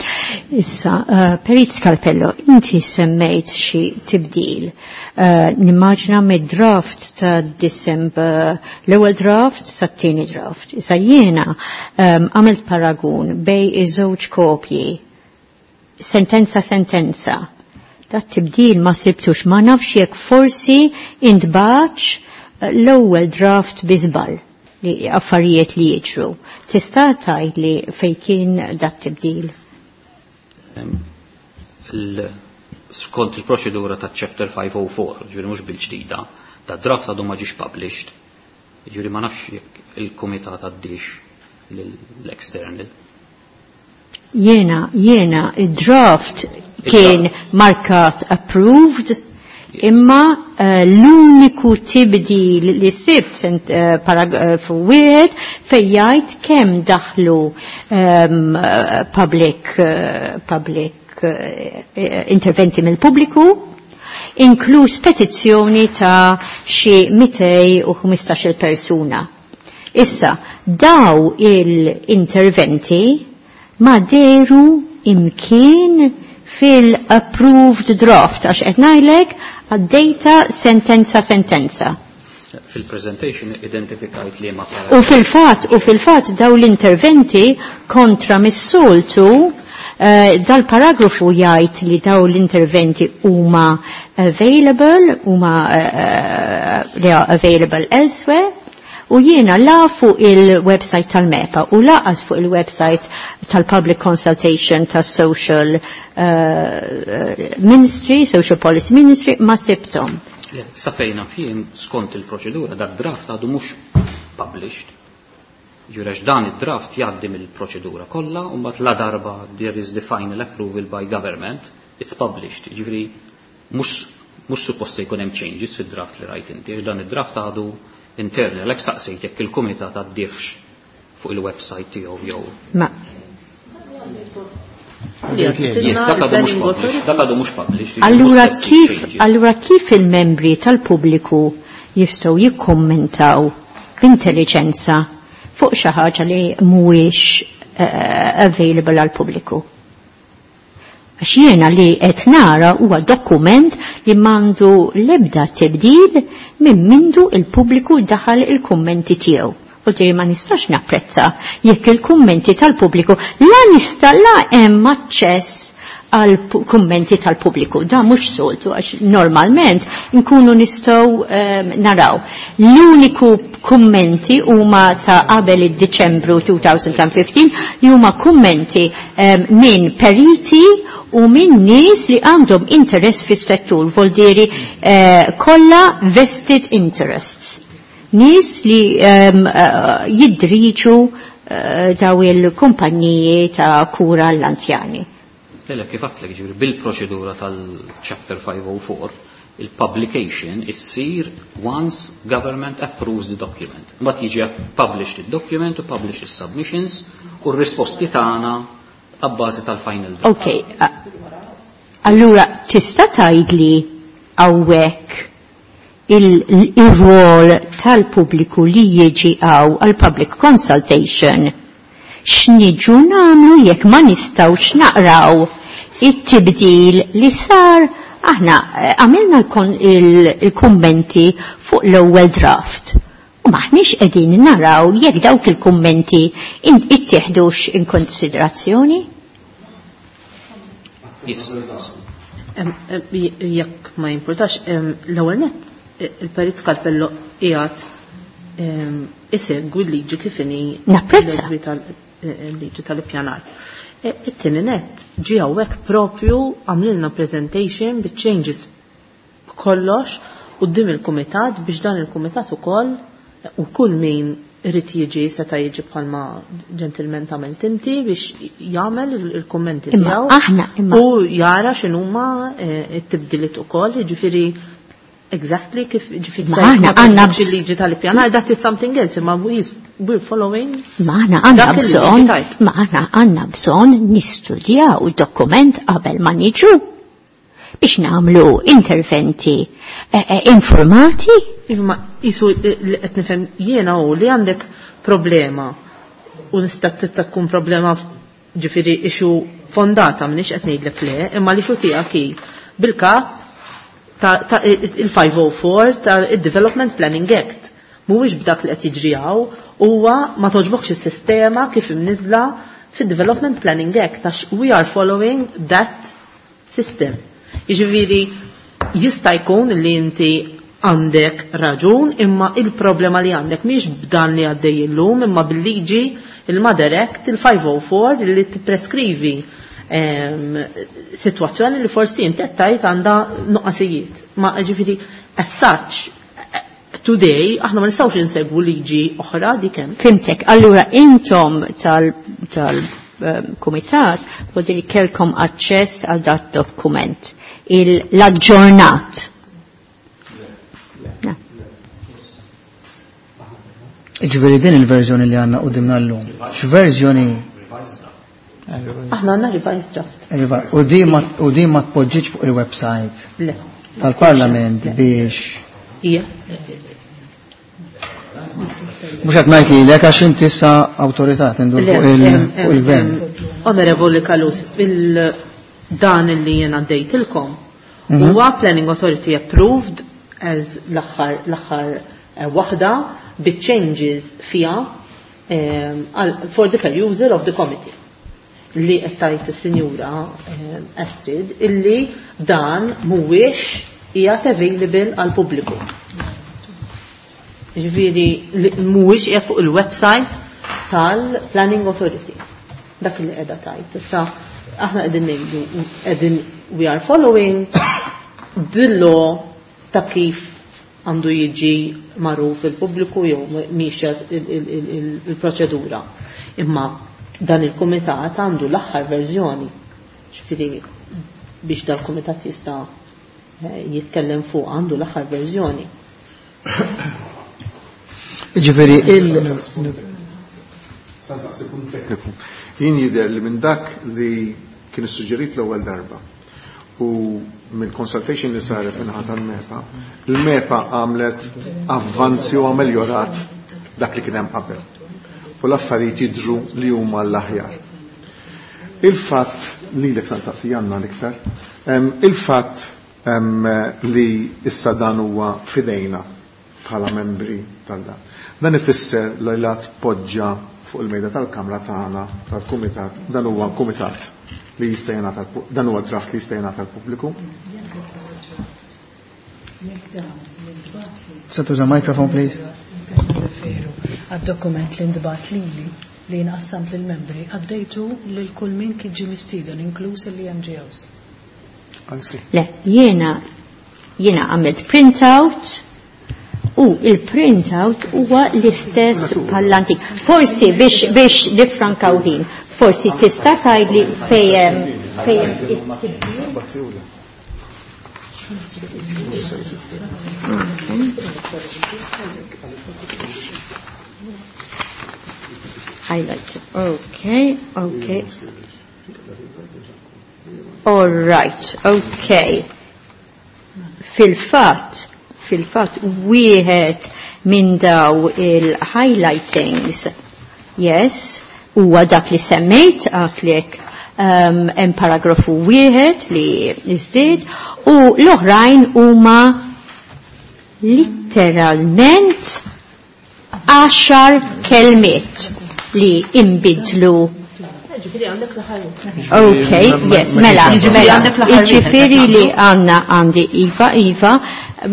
Issa, Perit Scalpello, inti semmejt xi tibdil. Nimmaġina mid-draft ta' December, l-ewwel draft sa' tieni draft. Issa jiena għamilt paragun bej iż-żewġ kopji, sentenza sentenza. Dat tibdil ma sibtux, ma nafx jekk forsi intbaċ l-ewwel draft bi żball li affarijiet li jiġru. Tista' tgħid li fejn kien dat tibdil? Skont il-proċedura ta' Chapter 504, ġifieri mhux bil-ġdida, ta' draft għadu ma ġiex published. Ġifieri ma nafx jekk il-kumitat għaddix l-external. Jiena, id-draft kien markat approved, imma l-uniku tibdil li sibt paragrafu wieħed fejn jgħid kemm daħlu public interventi mill-pubbliku, inkluż petizzjoni ta' xi 215-il persuna. Issa, daw il-interventi ma deru imkien fil-approved draft, għax qed ngħidlek għaddejta sentenza sentenza. Fil-presentation identifikajt li ma U fil-fatt daw l-interventi kontra mis-soltu dal-paragrafu jgħid li daw l-interventi huma available, huma they are available elsewhere. U jiena la fuq il-website tal-MEPA u laqas fuq il-website tal-Public Consultation tas-Social Ministry, Social Policy Ministry, ma sibtom. Le, sa fejna fien skont il-proċedura dak draft għadu mhux published. Ġirex dan id-draft jgħaddi mill-proċedura kollha u mbagħad la darba there is the final approval by government, it's published. Ġifieri mhux suppost se jkun hemm changes fid-draft li rajt inti, għax dan id-draft għadu interni, għalhekk saqsejt jekk il-kumitat għaddiex fuq il-website tiegħu jew. Ma. Yes, dak għadu mhux published, dak għadu mhux published. Allura Mhux changes. kif il-membri tal-pubbliku jistgħu jikkummentaw b'intelligenza fuq xi ħaġa li mhuwiex available għall-pubbliku? Għax jiena li qed nara huwa dokument li m'għandu l-ebda tibdil minn mindu il-pubbliku daħal il-kummenti tiegħu. U diri ma nistax napprezza jekk il-kummenti tal-pubbliku la nista' la hemm aċċess għal kummenti tal-pubbliku. Da mhux soltu għax normalment nkunu nistgħu naraw. L-uniku kummenti huma ta' qabel id-Diċembru 2015 li huma kummenti minn periti u minn nies li għandhom interess fis-settur, vuol dire kollha vested interests. Nies li jidriġu daw il-kumpaniji ta' kura l-anzjani. Le, kif għedtlek, ġifieri, bil-proċedura tal-Chapter 504, il-publication issir once government approves the document. Mbagħad jiġi published il-document u published il-submissions u r-risposti tagħna abbażi tal-final draft. Ok, allura tista' tgħidli hawnhekk il-rol tal-pubbliku li jiġi hawn għal-public consultation x'niġu nagħmlu jekk ma nistgħux naqraw it-tibdil li sar. Aħna għamilna il-kummenti fuq l-ewwel draft u maħniex qegħdin naraw jekk dawk il-kummenti ittieħdux in konsiderazzjoni. Yes. Jekk ma jimpurtax, l-ewwel nett il-Perit Scalpello qiegħed isegwi l-liġi kif inhi Napprezza. l-liġi tal-ippjanar. It-tieni nett ġie hawnhekk propju għamlilna presentation bit-changes kollox quddiem il-kumitat biex dan il-kumitat ukoll u kull min irid jiġi seta' jiġi bħalma ġentilment għamilt inti biex jagħmel il-kummenti Imma tiegħu aħna, imma u jara x'inhuma t-tibdiliet ukoll, jiġifieri exactly kif ġifieri Ma aħna ma għandna tafx il-liġi tal-ippjanar, that is something else, imma we're following Ma aħna għandna dak il-liġi bżonn, tajt. ma aħna għandna bżonn nistudjaw dokument qabel ma niġu biex nagħmlu interventi informati. Imma isu li qed nifhem jiena hu li għandek problema u nista' tista' tkun problema ġifieri issue fondata m'iniex qed ngħidlek le, imma li xu tiegħek hi bil-kap ta' il-504 ta' il-Development Planning Act. Mhuwiex b'dak li qed jiġri hawn, huwa ma toġbokx is-sistema kif imniżla fid-Development Planning Act għax we are following that system. Jiġifieri jista' jkun li inti għandek raġun imma il-problema li għandek mhix b'dan li għaddej illum imma bil-liġi il-Mother Act il-504 li tippreskrivi situazzjoni li forsi inti qed tgħid għandha nuqqasijiet. Ma ġifieri as such today aħna ma nistgħux insegwu liġi oħra dik hemm. Fhimtek, allura intom tal-kumitat tal kellkom aċċess għal dat dokument, l-aġġornat. Ġifieri din il-verżjoni li għandna qudiemna llum. X'verżjoni? Aħna għandna revised draft. U di ma tpoġġiġ fuq il-website Le. tal-Parlament biex. Ija. Mhux qed ngħid lilek għax inti issa awtorità tindur fuq il-gvern. Onorevoli Kalus, il-dan li jena għaddejtilkom huwa Planning Authority approved as l-aħħar waħda bi changes fiha for the perusal of the committee. Li qed tgħid is-Sinjura Astrid illi dan mhuwiex qiegħed available għal pubbliku. Ġifieri mhuwiex qiegħed fuq il-website tal-Planning Authority. Dak li qiegħda tgħid. Issa aħna qegħdin ngħidu qegħdin we are following the law ta' kif għandu jiġi magħruf il-pubbliku jew mixja il-proċedura. Imma dan il-kumitat għandu l-aħħar verżjoni. Ġifieri biex dal-kumitat jista' jitkellem fuq għandu l-aħħar verżjoni. Ġifieri il Sa punt tekniku. Jien jidher li minn dak li kien issuġġerit l-ewwel darba u mill-consultation li saret minn tal-MEPA, il-MEPA għamlet avvanzi u ameljorat dak li kien hemm qabel. U l-affarijiet jidhru li huma l-aħjar. Il-fatt li l saqsi għandna l-iktar, il-fatt li issa dan huwa fidejna bħala membri tal-dan. Dan ifisser li la tpoġġa fuq il-mejda tal-Kamra tagħna tal-Kumitat, dan huwa kumitat li jista' jingħata dan huwa draft li jista' jingħata l-pubbliku. Se tuża microphone please. Referu għad-dokument li ntbagħat lili li nqassamt lill-membri għaddejtu lil kull min kien ġie mistieden inkluż il-NGOs. Anzi. Le, jiena għamilt printout u il-printout huwa l-istess bħall-antik. Forsi biex nifrankaw ħin, forsi tista' tgħidli fejn it-tibdil. Highlight. Okay, okay. All right, okay. Fil-fatt, wieħed minn daw il-highlightings, yes, huwa dak li semmejt għatlek hemm paragrafu wieħed li iżdied u l-oħrajn huma literalment 10 kelmiet li imbidlu. Ġifieri għandek l-aħħar. Okay, yes, mela, Ġifieri mela, għandek l-aħħar wieħed, ġifieri li għandna għandi Iva, Iva,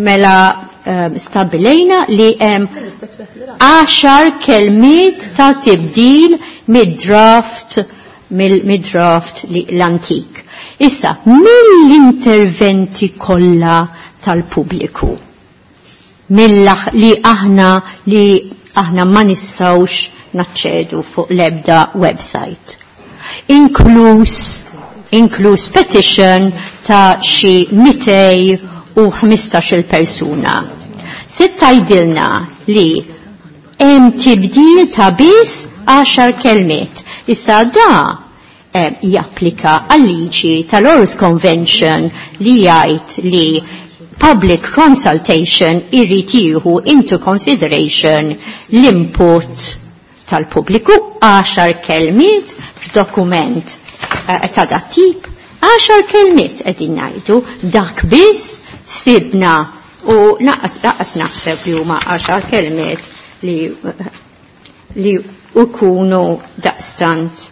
mela stabilejna li hemm 10 kelmiet ta' tibdil mid-draft li l-antik. Issa, mill-interventi kollha tal-pubbliku, li aħna ma nistgħux naċċedu fuq l-ebda website. Inkluż petition ta' xi 215 persuna. Se tgħidilna li hemm tibdil ta' biss 10 kelmiet. Issa da japplika għal-liġi tal-Aarhus Convention li jgħid li Public consultation irrid jieħu into consideration l-input tal-pubbliku 10 kelmiet f'dokument ta' dat tip, 10 kelmiet qegħdin ngħidu dak biss sibna u naqas naqas naħseb li huma 10 kelmiet li li ukunu daqstant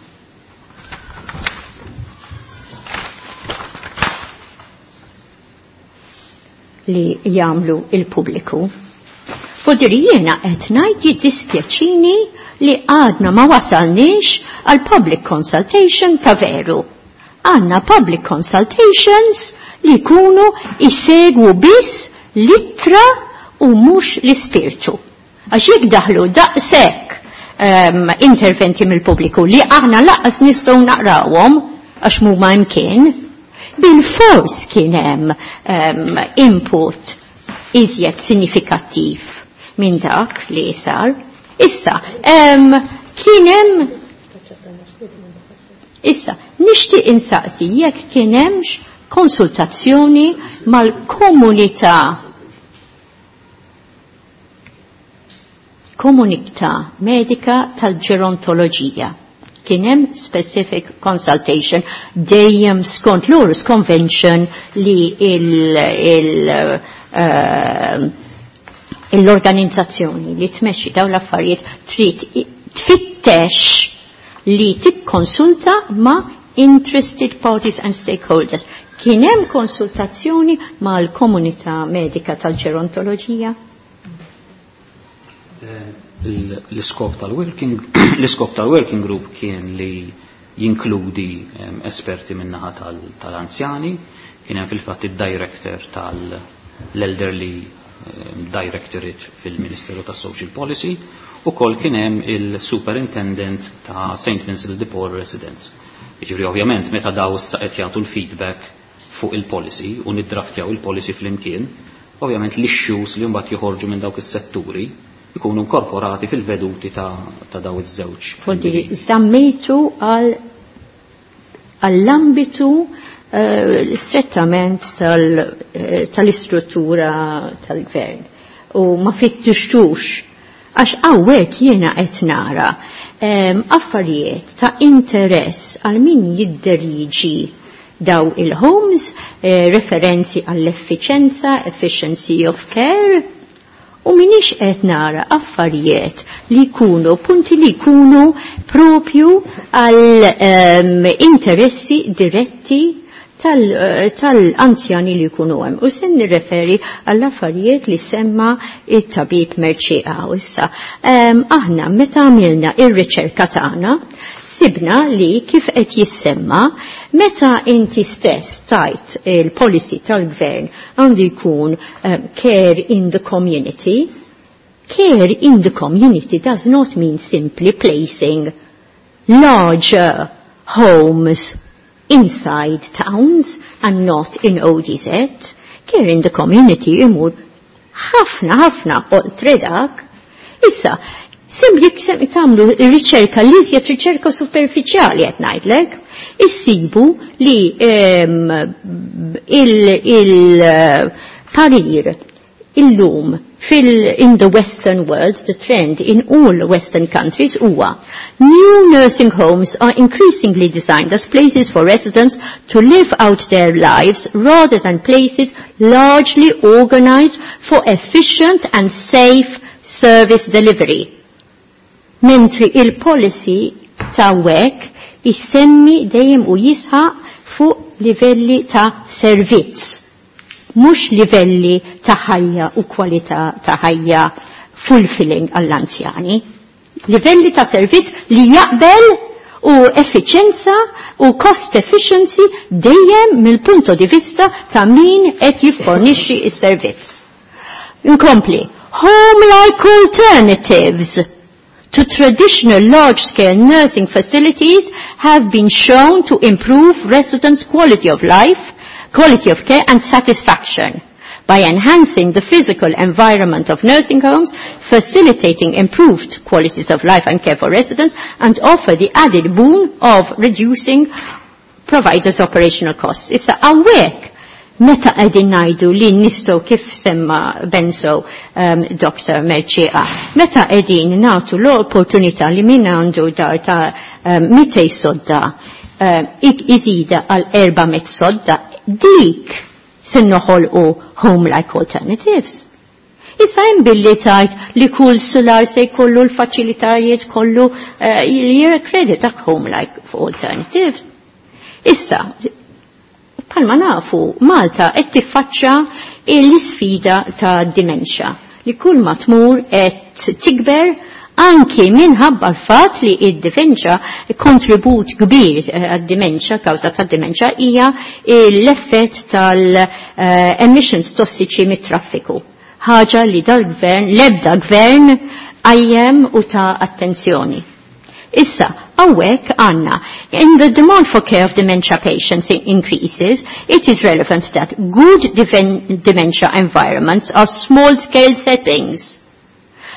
li jagħmlu il-pubbliku. Fodiri jiena qed ngħid jiddispjaċini li għadna ma wasalniex għal public consultation ta' veru. Għandna public consultations li jkunu isegwu biss l-ittra u mhux l-ispirtu. Għax jekk daħlu daqshekk interventi mill-pubbliku li aħna laqas nistgħu naqrawhom għax mhuma imkien, bil-fors kien hemm input iżjed sinifikattiv minn dak li sar. Issa, kien hemm Issa, nixtieq insaqsi jekk kien hemmx konsultazzjoni mal-komunità komunità medika tal-ġerontoloġija. Kien hemm specific consultation dejjem skont l-Aarhus Convention li l-organizzazzjoni li tmexxi dawn l-affarijiet trid tfittex li tikkonsulta ma' interested parties and stakeholders. Kien hemm konsultazzjoni mal-komunità medika tal-ġerontoloġija? L-iskop tal-working l-iskop tal-working group kien li jinkludi esperti min-naħa tal-anzjani, kien hemm fil-fatt id-director tal-Elderly Directorate fil-Ministeru tas-Social Policy, u kol kien hemm il-Superintendent ta' St. Vincent de Paul Residence. Jiġifieri ovvjament meta daw issa qed jagħtu l-feedback fuq il-policy u niddraftjaw il-policy flimkien, ovvjament l-issues li mbagħad joħorġu minn dawk is-setturi ikunu inkorporati fil-veduti ta' daw iż-żewġ. Fodiri, żammejtu għall-ambitu strettament tal-istruttura tal-gvern. U ma fittixtux, għax hawnhekk jiena qed nara affarijiet ta' interess għal min jidderiġi daw il-homes, referenzi għall-effiċenza, efficiency of care, u minix qed nara affarijiet li jkunu, punti li jkunu propju għal interessi diretti tal-anzjani li jkunu hemm. U se nirreferi għall affarijiet li semma it-tabib Merċieqa issa. Aħna meta għamilna ir-riċerka tagħna, sibna li kif qed jissemma meta inti stess tajt il-policy tal-gvern għandu jkun care in the community. Care in the community does not mean simply placing larger homes inside towns and not in ODZ. Care in the community imur ħafna ħafna oltre dak. Issa, jekk tagħmlu riċerka li iżjed riċerka superfiċjali qed ngħidlek, issibu li il-parir illum in the Western world, the trend in all Western countries huwa new nursing homes are increasingly designed as places for residents to live out their lives rather than places largely organized for efficient and safe service delivery. Mentri il-policy ta' WEC jissemmi dejjem u jisħaq fuq livelli ta' servizz, mhux livelli ta' ħajja u kwalità ta' ħajja fulfilling għall-anzjani. Livelli ta' servizz li jaqbel u effiċenza u cost efficiency dejjem mill-punto di vista ta' min qed jiffornixxi s-servizz. Inkompli, home-like alternatives to traditional large-scale nursing facilities have been shown to improve residents' quality of life, quality of care and satisfaction by enhancing the physical environment of nursing homes, facilitating improved qualities of life and care for residents, and offer the added boon of reducing providers' operational costs. Issa hawnhekk Meta qegħdin ngħidu li nistgħu kif semma Benzo Dr. Mercieca, meta qegħdin nagħtu l-opportunità li min għandu dar ta' 200 sodda iżida għal 400 sodda, dik se noħolqu home-like alternatives. Issa hemm billi tajt li kull solar se jkollu l-faċilitajiet kollu li jirrekredit dak home-like alternatives. Issa, palma nafu, Malta qed tiffaċċa l-isfida ta' dimensja li kull ma tmur qed tikber anki minħabba l-fatt li id-dimenċa kontribut kbir għad-dimenċa, kawża tad-dimenċa hija l-effett tal-emissions tossiċi mit-traffiku. Ħaġa li dal-gvern, l-ebda gvern għajjem u ta' attenzjoni. Issa, hawnhekk għandna, in the demand for care of dementia patients increases, it is relevant that good dementia environments are small-scale settings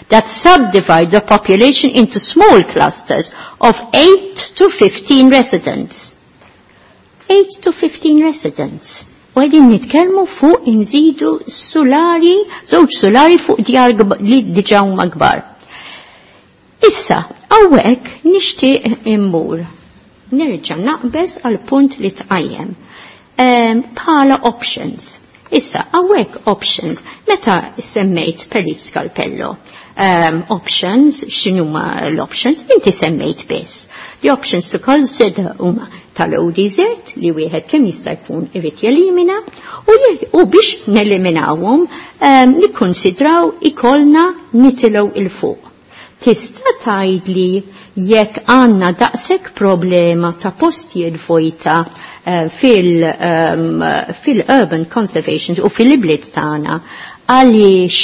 that subdivide the population into small clusters of 8 to 15 residents. 8 to 15 residents. U għedin nitkelmu fuq inżidu solari, żewġ solari fuq djar li diġa huma kbar. Issa, hawnhekk nixtieq immur. Nerġa' naqbeż għal punt li tqajjem. Bħala options. Issa, hawnhekk options, meta semmejt Perit Scalpello, options, x'inhuma l-options, inti semmejt biss. The options to consider huma tal-ODZ li wieħed kemm jista' jkun irid jelimina u biex neliminawhom nikkonsidraw ikollna nitilgħu il fuq. Tista' tgħidli jekk għandna daqshekk problema ta' postijiet vojta fil-urban conservation u fil-ibliet tagħna għaliex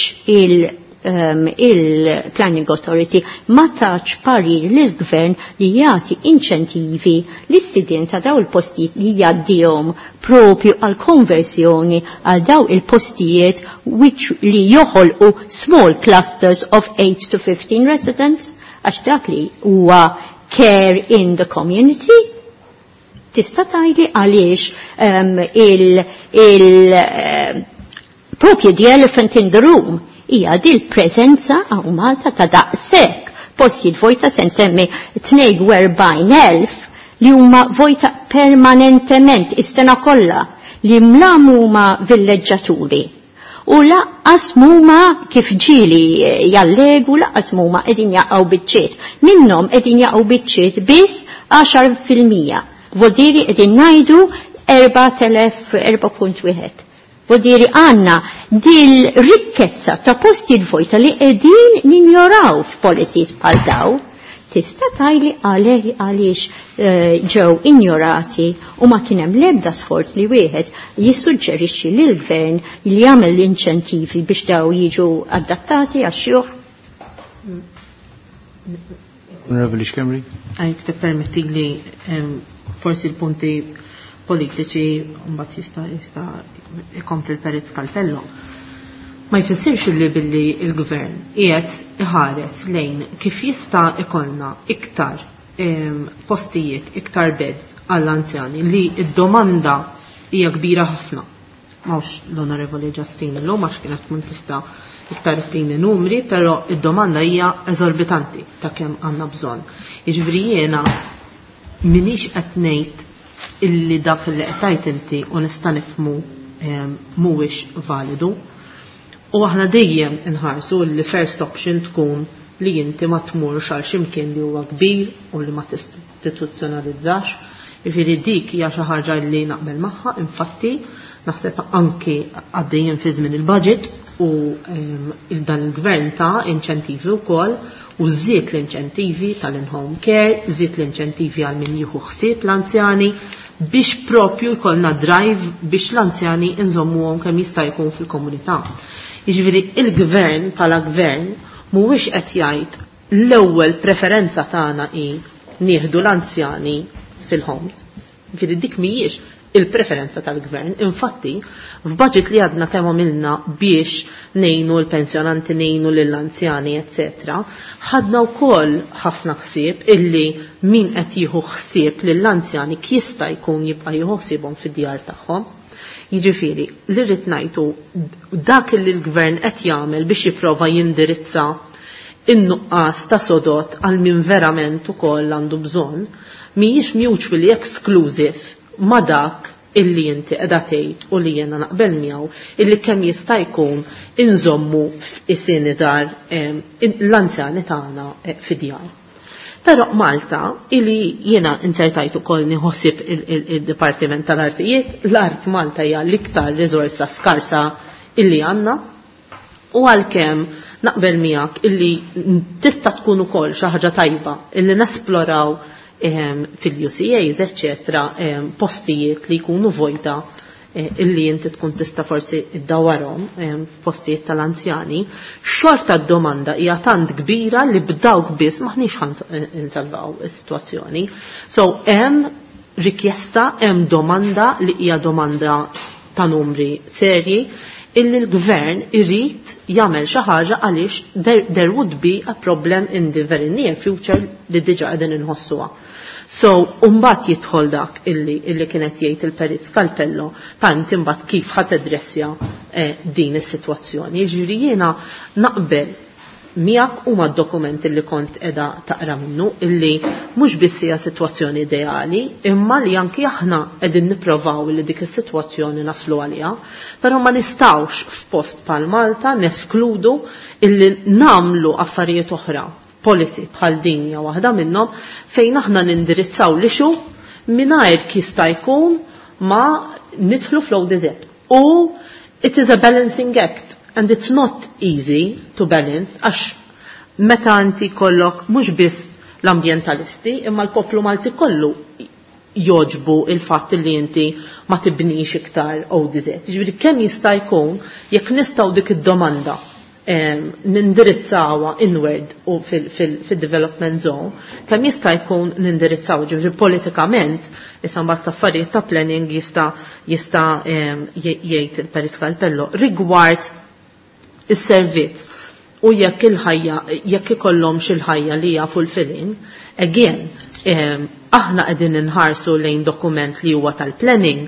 il-Planning Authority ma tax parir lill-gvern li jagħti inċentivi lis-sidien ta' daw il-postijiet li jgħaddihom propju għal konversjoni għal daw il-postijiet which li joħolqu small clusters of 8 to 15 residents, għax dak li huwa care in the community. Tista' tgħidli għaliex propju the elephant in the room hija dil preżenza hawn Malta ta' daqshekk postijiet vojta se nsemmi 42,000 li huma vojta permanentement is-sena kollha li mlam huma villeġġaturi. U laqqas huma kif ġieli jallegu, laqqas huma qegħdin jaqgħu biċċiet. Minnhom qegħdin jaqgħu biċċiet biss 10%. Vodiri qegħdin ngħidu 4,000, 4.1. Vodiri għandna dil rikkezza ta' postijiet vojta li qegħdin ninjoraw f'policies bħal daw. Tista' tgħidli għaliex ġew injorati u ma kien hemm l-ebda sforz li wieħed jissuġġerixxi lill-gvern li jagħmel l-inċentivi biex daw jiġu adattati għax-xjuħ. Onorevoli Schembri. Għajk tippermetti li forsi l-punti politiċi mbagħad jista' ikompli l-Perit Scalpello. Ma jfissirx li billi il-gvern qiegħed iħares lejn kif jista' ikollna iktar postijiet, iktar beds għall-anzjani li d-domanda hija kbira ħafna. Mawx l-Onorevoli Justine illum għax kienet tkun tista' iktar ittini numri, però id-domanda hija eżorbitanti ta' kemm għandna bżonn. Jiġifieri jiena minix qed ngħid illi dak li qed tgħid inti u nista' nifhmu mhuwiex validu. U aħna dejjem inħarsu li first option tkun li inti ma tmurx għal x'imkien li huwa kbir u li ma tistituzzjonalizzax. Jiġifieri dik hija xi ħaġa li naqbel magħha, infatti naħseb anki għaddejjin fi żmien il-budget u dan il-gvern ta' inċentivi wkoll u żied l-inċentivi tal-in-home care, żied l-inċentivi għal min jieħu ħsieb l-anzjani biex propju jkollna drive biex l-anzjani nżommuhom kemm jista' jkun fil-komunità. Jiġifieri il-gvern bħala gvern mhuwiex qed jgħid l-ewwel preferenza tagħna hi nieħdu l-anzjani fil-homes. Jiġifieri dik mhijiex il-preferenza tal-gvern. Infatti, f'budget li għadna kemm għamilna biex nejnu l-pensjonanti, nejnu lill-anzjani, eccetera, ħadna wkoll ħafna ħsieb illi min qed jieħu ħsieb lill-anzjani jista' jkun jibqa' jieħu ħsiebhom fid-djar tagħhom. Jiġifieri, li rrid ngħidu dak li l-gvern qed jagħmel biex jipprova jindirizza in-nuqqas ta' sodot għal min verament ukoll għandu bżonn, mhijiex mutually exclusive ma' dak illi inti qiegħda tgħid u li jiena naqbel miegħu illi kemm jista' jkun inżommu f'isien iżgħar l-anzjani tagħna fid-djar. Però Malta illi jiena insertajt ukoll nieħossib il-Dipartiment tal-Artijiet, l-art Malta hija l-iktar riżorsa skarsa illi għandna u għalkemm naqbel miegħek illi tista' tkun ukoll xi ħaġa tajba illi nesploraw fil-UCAs, eccetera, postijiet li jkunu vojta illi inti tkun tista' forsi iddawarhom postijiet tal-anzjani, xorta d-domanda hija tant kbira li b'dawk biss maħniex ħan insalvaw is-sitwazzjoni. So hemm rikjesta, hemm domanda li hija domanda ta' numri serji illi l-gvern irid jagħmel xi ħaġa għaliex there would be a problem in the very near future li diġà qegħdin inħossuha. So, mbagħad jidħol dak illi kienet jgħid il-Perit Scalpello tant imbagħad kif ħa tadressja din is-sitwazzjoni. Jiġifieri jiena naqbel miegħek u mad-dokumenti li kont qiegħda taqra minnu illi mhux biss hija sitwazzjoni ideali, imma li anki aħna qegħdin nipprovaw li dik is-sitwazzjoni naslu għaliha, però ma nistgħux f'post bħal Malta neskludu illi nagħmlu affarijiet oħra, policy bħal din hija waħda minnhom fejn aħna nindirizzaw l-issue mingħajr jista' jkun ma nidħlu fl-ODZ. U it is a balancing act and it's not easy to balance għax meta inti kollok mhux biss l-ambjentalisti imma l-poplu Malti kollu joġbu il-fatt li inti ma tibnix iktar ODZ. Ġifieri kemm jista' jkun jekk nistgħu dik id-domanda nindirizzawa inward u fil-development zone, kemm jista' jkun nindirizzaw, ġifieri politikament, issa mbagħad affarijiet ta' planning jista' jgħid il-Perit Scalpello rigward is-servizz u jekk il-ħajja, jekk ikollhomx il-ħajja li hija fulfilling, again, aħna qegħdin inħarsu lejn dokument li huwa tal-planning,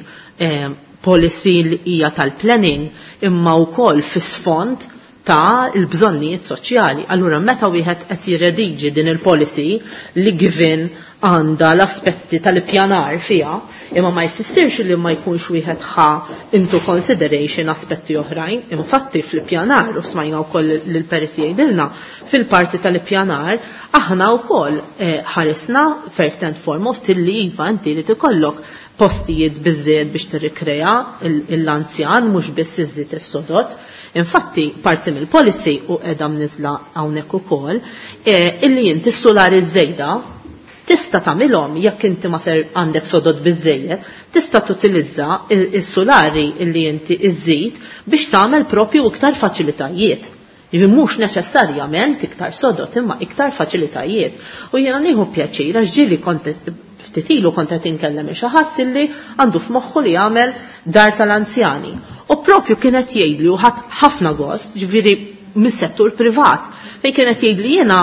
policy li hija tal-planning, imma wkoll fis-sfond ta' il-bżonnijiet soċjali. Allura meta wieħed qed jirrediġi din il-policy li given għandha l-aspetti tal-ippjanar fiha, imma ma jfissirx li ma jkunx wieħed ħa into consideration aspetti oħrajn. Infatti fl-ippjanar, u smajna wkoll lill-periti jgħidilna, fil-parti tal-ippjanar aħna wkoll ħarisna first and foremost illi iva inti li tikollok postijiet biżżejjed biex tirrikrea l-anzjan mhux biss iżżid is-sodot. Infatti, parti mill-policy u qiegħda mniżla hawnhekk ukoll, illi inti s-solari żejda tista' tagħmilhom jekk inti ma ser għandek sodot biżejjed, tista' tutilizza il-solari illi inti iżżid biex tagħmel propju iktar faċilitajiet. Jiġifieri mhux neċessarjament iktar sodot imma iktar faċilitajiet. U jiena nieħu pjaċir għax ġieli kont ftit ilu kont qed inkellem xi ħadd illi għandu f'moħħu li jagħmel dar tal-anzjani. U propju kienet jgħidli u ħadd ħafna gost, ġifieri mis-settur privat, fejn kienet jgħidli jiena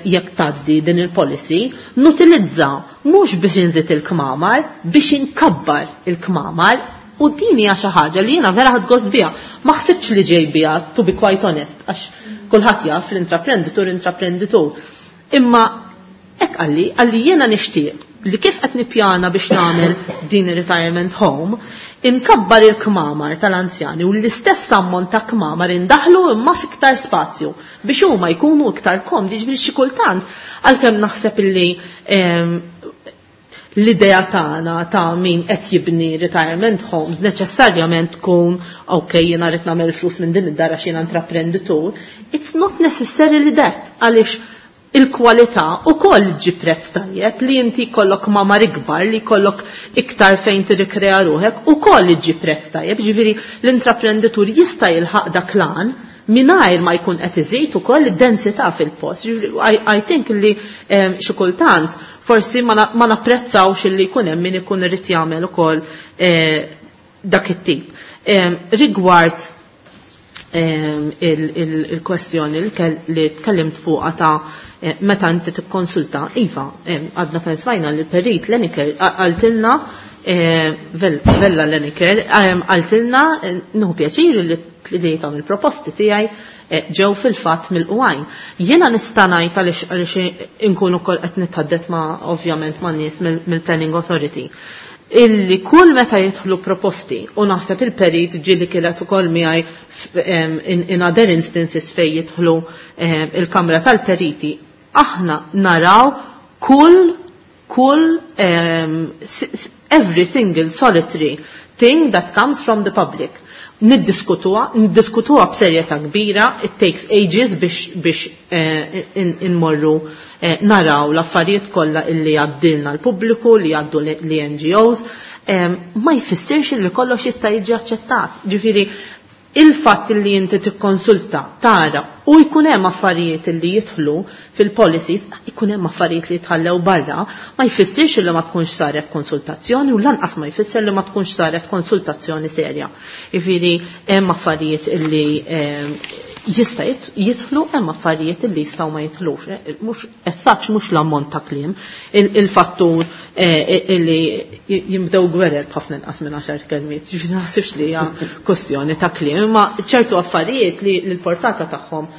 jekk tgħaddi din il-policy, nutilizza mhux biex inżid il-kmamar, biex inkabbar il-kmamar, u din hija xi ħaġa li jiena vera ħadt gost biha. Ma ħsibx li ġej biha, to be quite honest, għax kulħadd jaf l-intraprenditur intraprenditur. Imma hekk qalli jiena nixtieq li kif qed nippjana biex nagħmel din ir-retirement home, inkabbar il-kmamar tal-anzjani u l-istess ammont ta' kmamar indaħlu imma fiktar spazju biex huma jkunu iktar komdi, ġifieri xi kultant għalkemm naħseb illi l-idea tagħna ta' min qed jibni retirement homes neċessarjament tkun ok jiena rrid nagħmel flus minn din id-dar għax jiena intraprenditur, it's not necessarily that, għaliex il-kwalità u koll ġi prezz tajjeb li inti kollok mamar ikbar, li kollok iktar fejn tirrikrea ruħek, u koll ġi prezz tajjeb, ġifieri l-intraprenditur jista' jilħaq dak lan mingħajr ma jkun qed iżid ukoll id-densità fil-post. Ġifieri, I think li xi kultant forsi ma napprezzawx illi jkun hemm min ikun irid jagħmel ukoll dak it-tip. Rigward il-kwestjoni li tkellimt fuqha ta' meta inti tikkonsulta, iva, għadna kemm smajna li l-perit Leniker qaltilna Vella Leniker, għaltilna nieħu pjaċir li tlieta mill-proposti tiegħi ġew fil-fatt mill-qwajn. Jiena nista' ngħid għaliex inkun ukoll qed nitħaddet ma' ovvjament ma' nies mill-Planning Authority illi kull meta jidħlu proposti u naħseb il-perit ġieli kienet ukoll miegħi in other instances fejn jidħlu il-Kamra tal-Periti, aħna naraw kull every single solitary thing that comes from the public. Niddiskutuha b'serjetà kbira, it takes ages biex inmorru naraw l-affarijiet kollha illi għaddilna l-pubbliku, li għaddu l-NGOs, ma jfissirx li kollox jista' jiġi aċċettat. Ġifieri il-fatt li inti tikkonsulta, tara u jkun hemm affarijiet li jidħlu fil-policies, jkun hemm affarijiet li jitħallew barra, ma jfissirx li ma tkunx saret konsultazzjoni u lanqas ma jfisser li ma tkunx saret konsultazzjoni serja. Jiġifieri hemm affarijiet li jista' jidħlu, hemm affarijiet li jistgħu ma jidħlux. Mhux as such mhux l-ammont ta' kliem, il-fattur li jimbdew gwerer b'ħafna inqas minn 10 kelmiet, ġifieri ma naħsibx li hija kwestjoni ta' kliem, imma ċertu affarijiet li l-portata tagħhom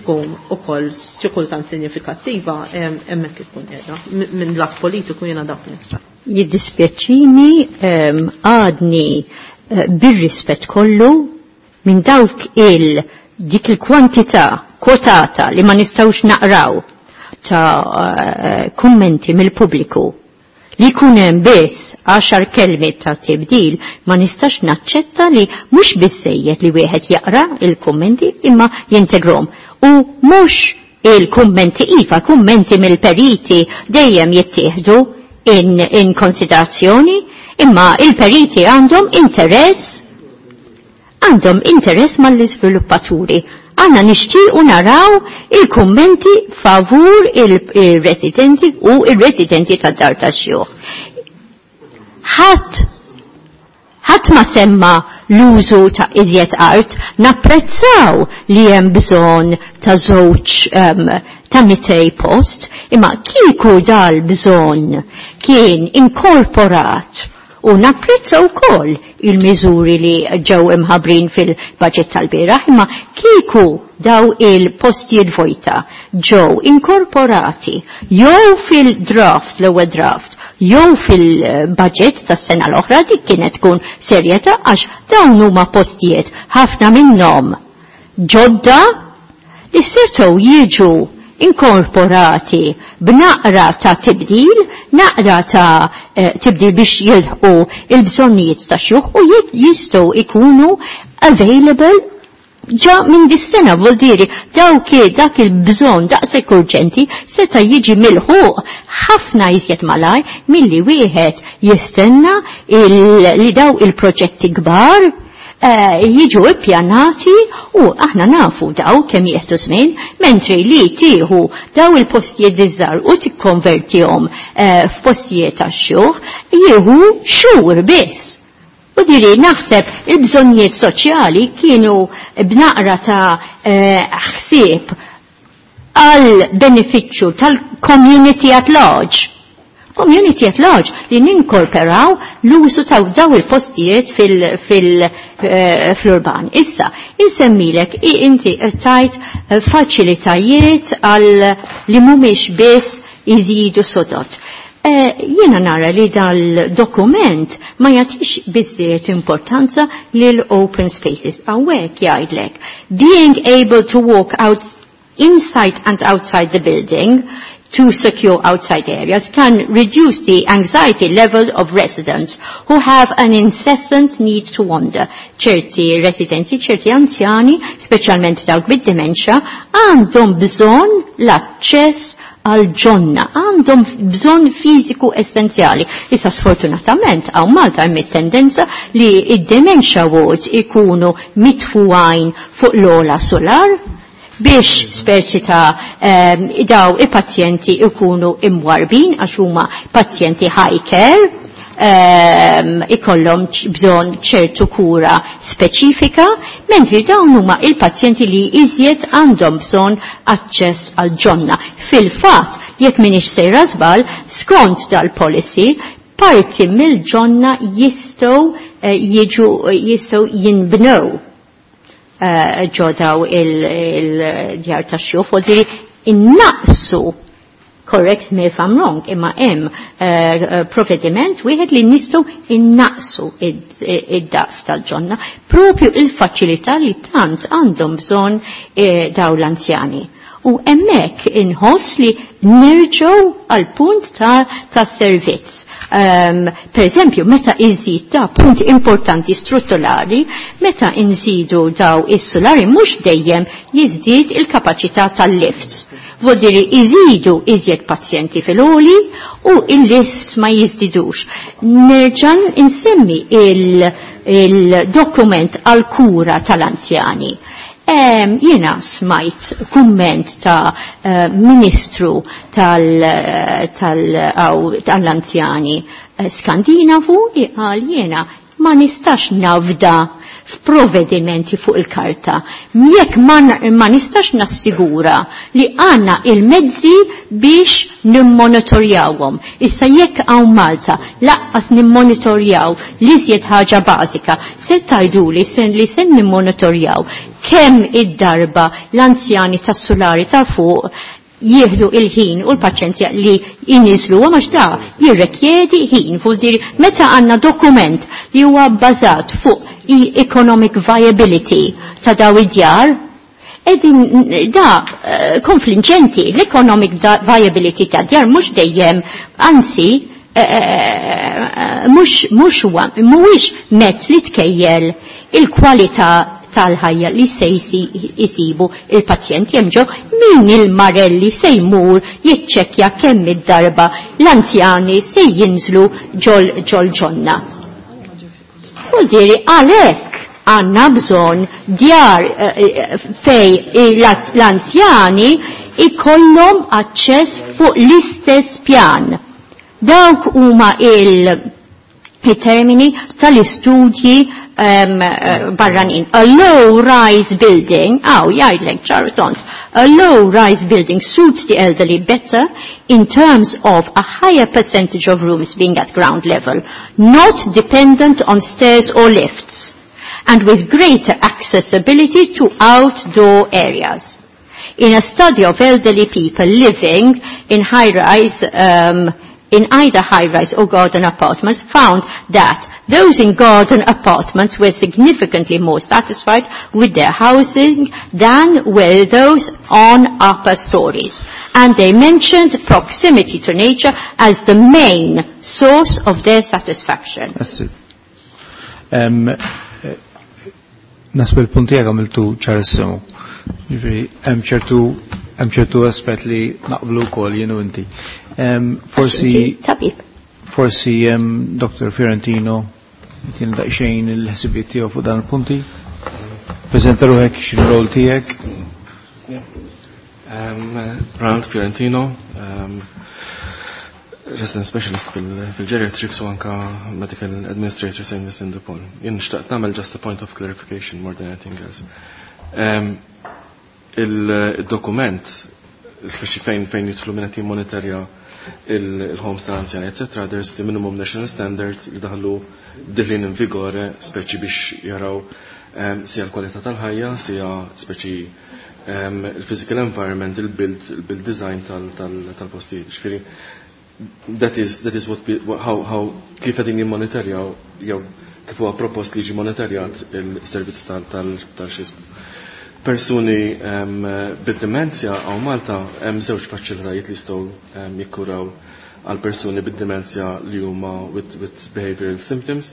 tkun ukoll xi kultant sinifikattiva hemmhekk ikun qiegħda. Minn lat politiku jiena dak li nista'. Jiddispjaċini għadni bir-rispett kollu minn dawk il dik il-kwantità kwotata li ma nistgħux naqraw ta' kummenti mill-pubbliku li jkun hemm biss 10 kelmiet ta' tibdil, ma nistax naċċetta li mhux biżejjed li wieħed jaqra il-kummenti imma jintegrom. U mhux il-kummenti iva, kummenti mill-periti dejjem jittieħdu in konsiderazzjoni, imma il-periti għandhom interess mal-iżviluppaturi. Għanna nixtiequ naraw il-kummenti favur il-residenti u il-residenti tad-dar tax-xjuħ. Ħadd ma semma l-użu ta' iżjed art, napprezzaw li hemm bżonn ta' żewġ ta' 200 post, imma kieku dal-bżonn kien inkorporat u napprezza wkoll il-miżuri li ġew imħabbrin fil-budget tal-bieraħ, imma kieku daw il-postijiet vojta ġew inkorporati jew fil-draft, l-ewwel draft, jew fil-budget tas-sena l-oħra, dik kienet tkun serjetà għax dawn huma postijiet ħafna minnhom ġodda li setgħu jiġu inkorporati b'naqra ta' tibdil, naqra ta' tibdil biex jilħqu il-bżonnijiet ta' xjuħ u jistgħu ikunu available ġa minn dis-sena, vuol dire dawk dak il-bżonn daqshekk urġenti seta' jiġi milħuq ħafna iżjed malaj milli wieħed jistenna li daw il-proġetti kbar jiġu ippjanati u aħna nafu daw kemm jieħdu żmien, mentri li tieħu daw il-postijiet iż-żgħar u tikkonvertihom f'postijiet tax-xjuħ jieħu xhur biss. U diri naħseb il-bżonnijiet soċjali kienu b'naqra ta' ħsieb għal benefiċċju tal-community at large. Community at large li ninkorporaw l-użu ta' daw il-postijiet fl-urban. Issa, insemmilek inti tajt faċilitajiet għal li mhumiex biss iżidu sodot. Jiena nara li dal-dokument ma jagħtix biżżejjed importanza lil open spaces. Hawnhekk jgħidlek being able to walk out inside and outside the building to secure outside areas can reduce the anxiety level of residents who have an incessant need to wander. ċerti residenti, ċerti anzjani, speċjalment dawk bid-dementia, għandhom bżonn l-aċċess għal ġonna, għandhom bżonn fiżiku essenzjali. Issa sfortunatament hawn Malta hemm it-tendenza li id-dementia wards ikunu mitfuqajn fuq l-ola solar biex speċi ta' daw i-pazjenti ikunu imwarbin għax huma pazjenti high care, ikollhom bżonn ċertu kura speċifika, mentri dawn huma il-pazjenti li iżjed għandhom bżonn aċċess għal ġonna. Fil-fatt, jekk m'iniex sejra żball, skont dal-policy, Parti mill-ġonna jistgħu jiġu jistgħu jinbnew ġo daw il-djar tax-xjuħ, u diri innaqsu, correct me if I'm wrong, imma hemm provvediment wieħed li nistgħu innaqsu id-daqs tal-ġonna, propju il-faċilità li tant għandhom bżonn daw l-anzjani. U hemmhekk inħoss li nerġgħu għal punt ta' servizz. Per eżempju, meta iżid ta' punt importanti strutturali, meta inżidu daw is-solari mhux dejjem jiżdied il-kapaċità tal-lifts. Vodiri iżidu iżjed pazjenti fil-oli u il-lifts ma jiżdidux. Nerġan insemmi il-dokument għal-kura tal-anzjani. Jiena smajt kumment ta' ministru tal-anzjani Skandinavu li qal jiena ma nistax nafda f'provvedimenti fuq il-karta. Jekk ma nistax nassigura li għanna il-mezzi biex nimmonitorjawhom. Issa jekk hawn Malta laqqas nimmonitorjaw li żjed ħaġa bażika, se tgħiduli li se nimmonitorjaw kemm id-darba l-anzjani tas-sulari ta' fuq jieħdu il-ħin u l-paċenzja li jinizlu, għax da jirrekjedi ħin, fuq meta għanna dokument li huwa bbażat fuq economic viability ta' daw id-djar, edin da konfliġenti, l-economic viability ta' djar mhux dejjem, anzi, mhux huwa mhuwiex mezz li tkejjel il-kwalità tal-ħajja li se jisibu il-pazjent jemġo min il-marelli se jmur jiċċekkja kemm id-darba l-anzjani se jinżlu ġol ġol ġonna. U diri għalhekk għandna bżonn djar fej l-anzjani ikollhom aċċess fuq l-istess pjan. Dawk huma il-termini tal-istudji barranin. A low-rise building, aw, jgħidlek ċar a low-rise building suits the elderly better in terms of a higher percentage of rooms being at ground level, not dependent on stairs or lifts, and with greater accessibility to outdoor areas. In a study of elderly people living in high-rise, in either high-rise or garden apartments, found that those in garden apartments were significantly more satisfied with their housing than were those on upper stories. And they mentioned proximity to nature as the main source of their satisfaction. Nasbu l-punt tiegħek għamiltu ċarissimu. Ġifieri hemm ċertu aspett li naqblu wkoll jien u inti. Forsi Tabib. Forsi Dr. Fiorentino jtina daqsxejn il-ħsibiet tiegħu fuq dan il-punti. Preżenta ruħek x'il-rol tiegħek. Ronald Fiorentino, resident specialist fil-geriatrics u anka medical administrator St. Vincent de Paul. Jien xtaqt nagħmel just a point of clarification more than anything else. Il-dokument, speċi fejn jidħlu minn qed jimmonitorja il-homes tal-anzjani, etc., there's the minimum national standards li daħlu diħlin in vigore, speċi biex jaraw sija l-kwalità tal-ħajja, sija speċi il-physical environment, il-build design tal-postijiet. Ġifieri, that is what we, how kif qegħdin jimmonitorjaw jew kif huwa propost li jiġi monitorjat il-servizz tal-xismu. Persuni bid-demenzja għaw Malta hemm żewġ faċilitajiet li jistgħu jikkuraw għal persuni bid-demenzja li huma with behavioral symptoms.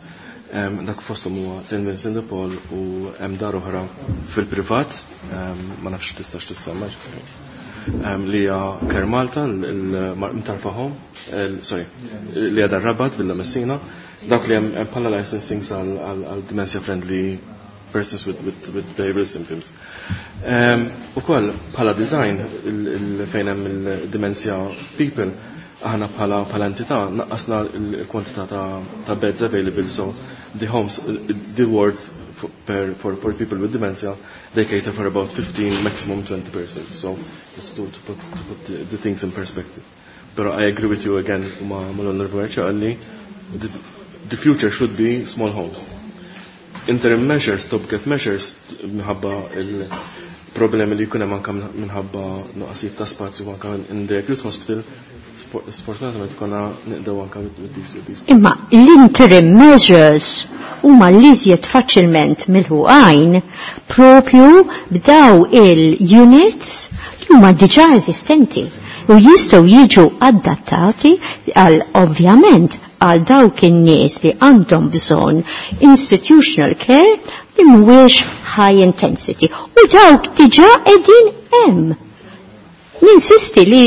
Dak fosthom huwa St. Vincent de Paul u hemm dar oħra fil-privat, ma nafx tistax tissemma ġifieri. Li hija Care Malta, l-Mtarfa Home, sorry, li hija dar Rabat Villa Messina, dak li hemm bħala licensing għal dementia friendly persons with behavioral symptoms. U koll, bħala design, fejn hemm il-dementia people, aħna bħala entità naqqasna l-kwantità ta' beds available, so the homes, the ward for people with dementia, they cater for about 15, maximum 20 persons. So it's to put the things in perspective. Pero I agree with you again, ma l-Onorevole Ċalli, The future should be small homes. Interim measures, stop gap measures, minħabba il-problemi li jkun hemm anke minħabba nuqqasijiet ta' spazju anke in the acute hospital, sfortunatament konna nibdew anke with these. Imma l-interim measures huma l-iżjed faċilment milħuqajn propju b'daw il-units li huma diġà eżistenti u jistgħu jiġu adattati għal ovvjament għal dawk in-nies li għandhom bżonn institutional care li mhuwiex high intensity u dawk diġà qegħdin hemm. Ninsisti li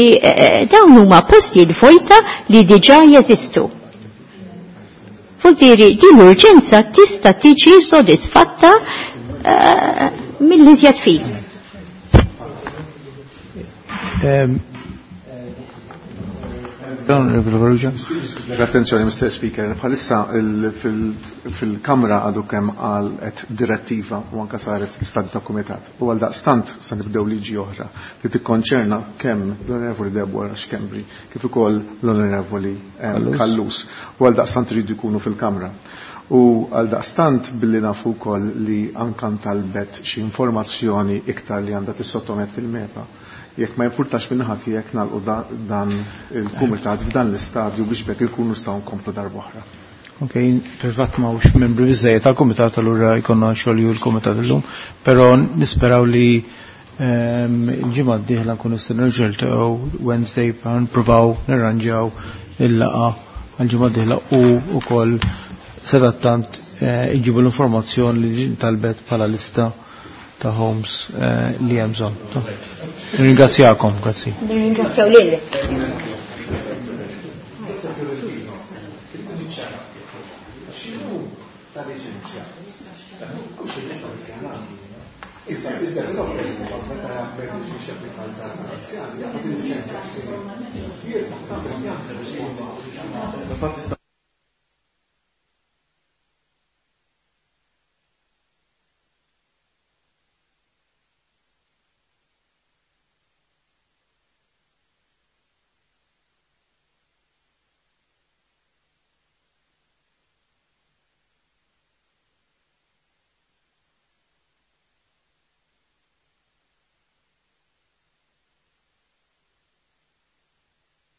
dawn huma postijiet vojta li diġà jeżistu. Vuol din l-urġenza tista' tiġi sodisfatta mill-iżjed fis. Attenzjoni, Mr. Speaker, bħalissa fil-Kamra għadu kemm għalet direttiva u anka saret l-istadju ta' kumitat. U għal daqstant se nibdew liġi oħra li tikkonċerna kemm l-Onorevoli Deborah Schembri kif ukoll l-Onorevoli Callus. U għal daqstant iridu jkunu fil-Kamra. U għal daqstant billi nafu wkoll li anka ntalbet xi informazzjoni iktar li għandha tissottometti il-MEPA. Jekk ma jimpurtax minn ħadd jekk nagħlqu dan il-kumitat f'dan l-istadju biex bekk ikunu nistgħu nkomplu darb'oħra. Ok, fil-fatt ma hux membri biżejjed tal-kumitat allura jkollna xogħol l-kumitat illum, però nisperaw li il-ġimgħa d-dieħla nkunu nistgħu nerġgħu Wednesday nippruvaw nirranġaw il-laqgħa għall-ġimgħa d-dieħla u wkoll sadattant iġibu l-informazzjoni li talbet bħala lista ta' homes li hemm bżonn. Nirringrazzjakom, grazzi. Nirringrazzjaw lilek. Issa,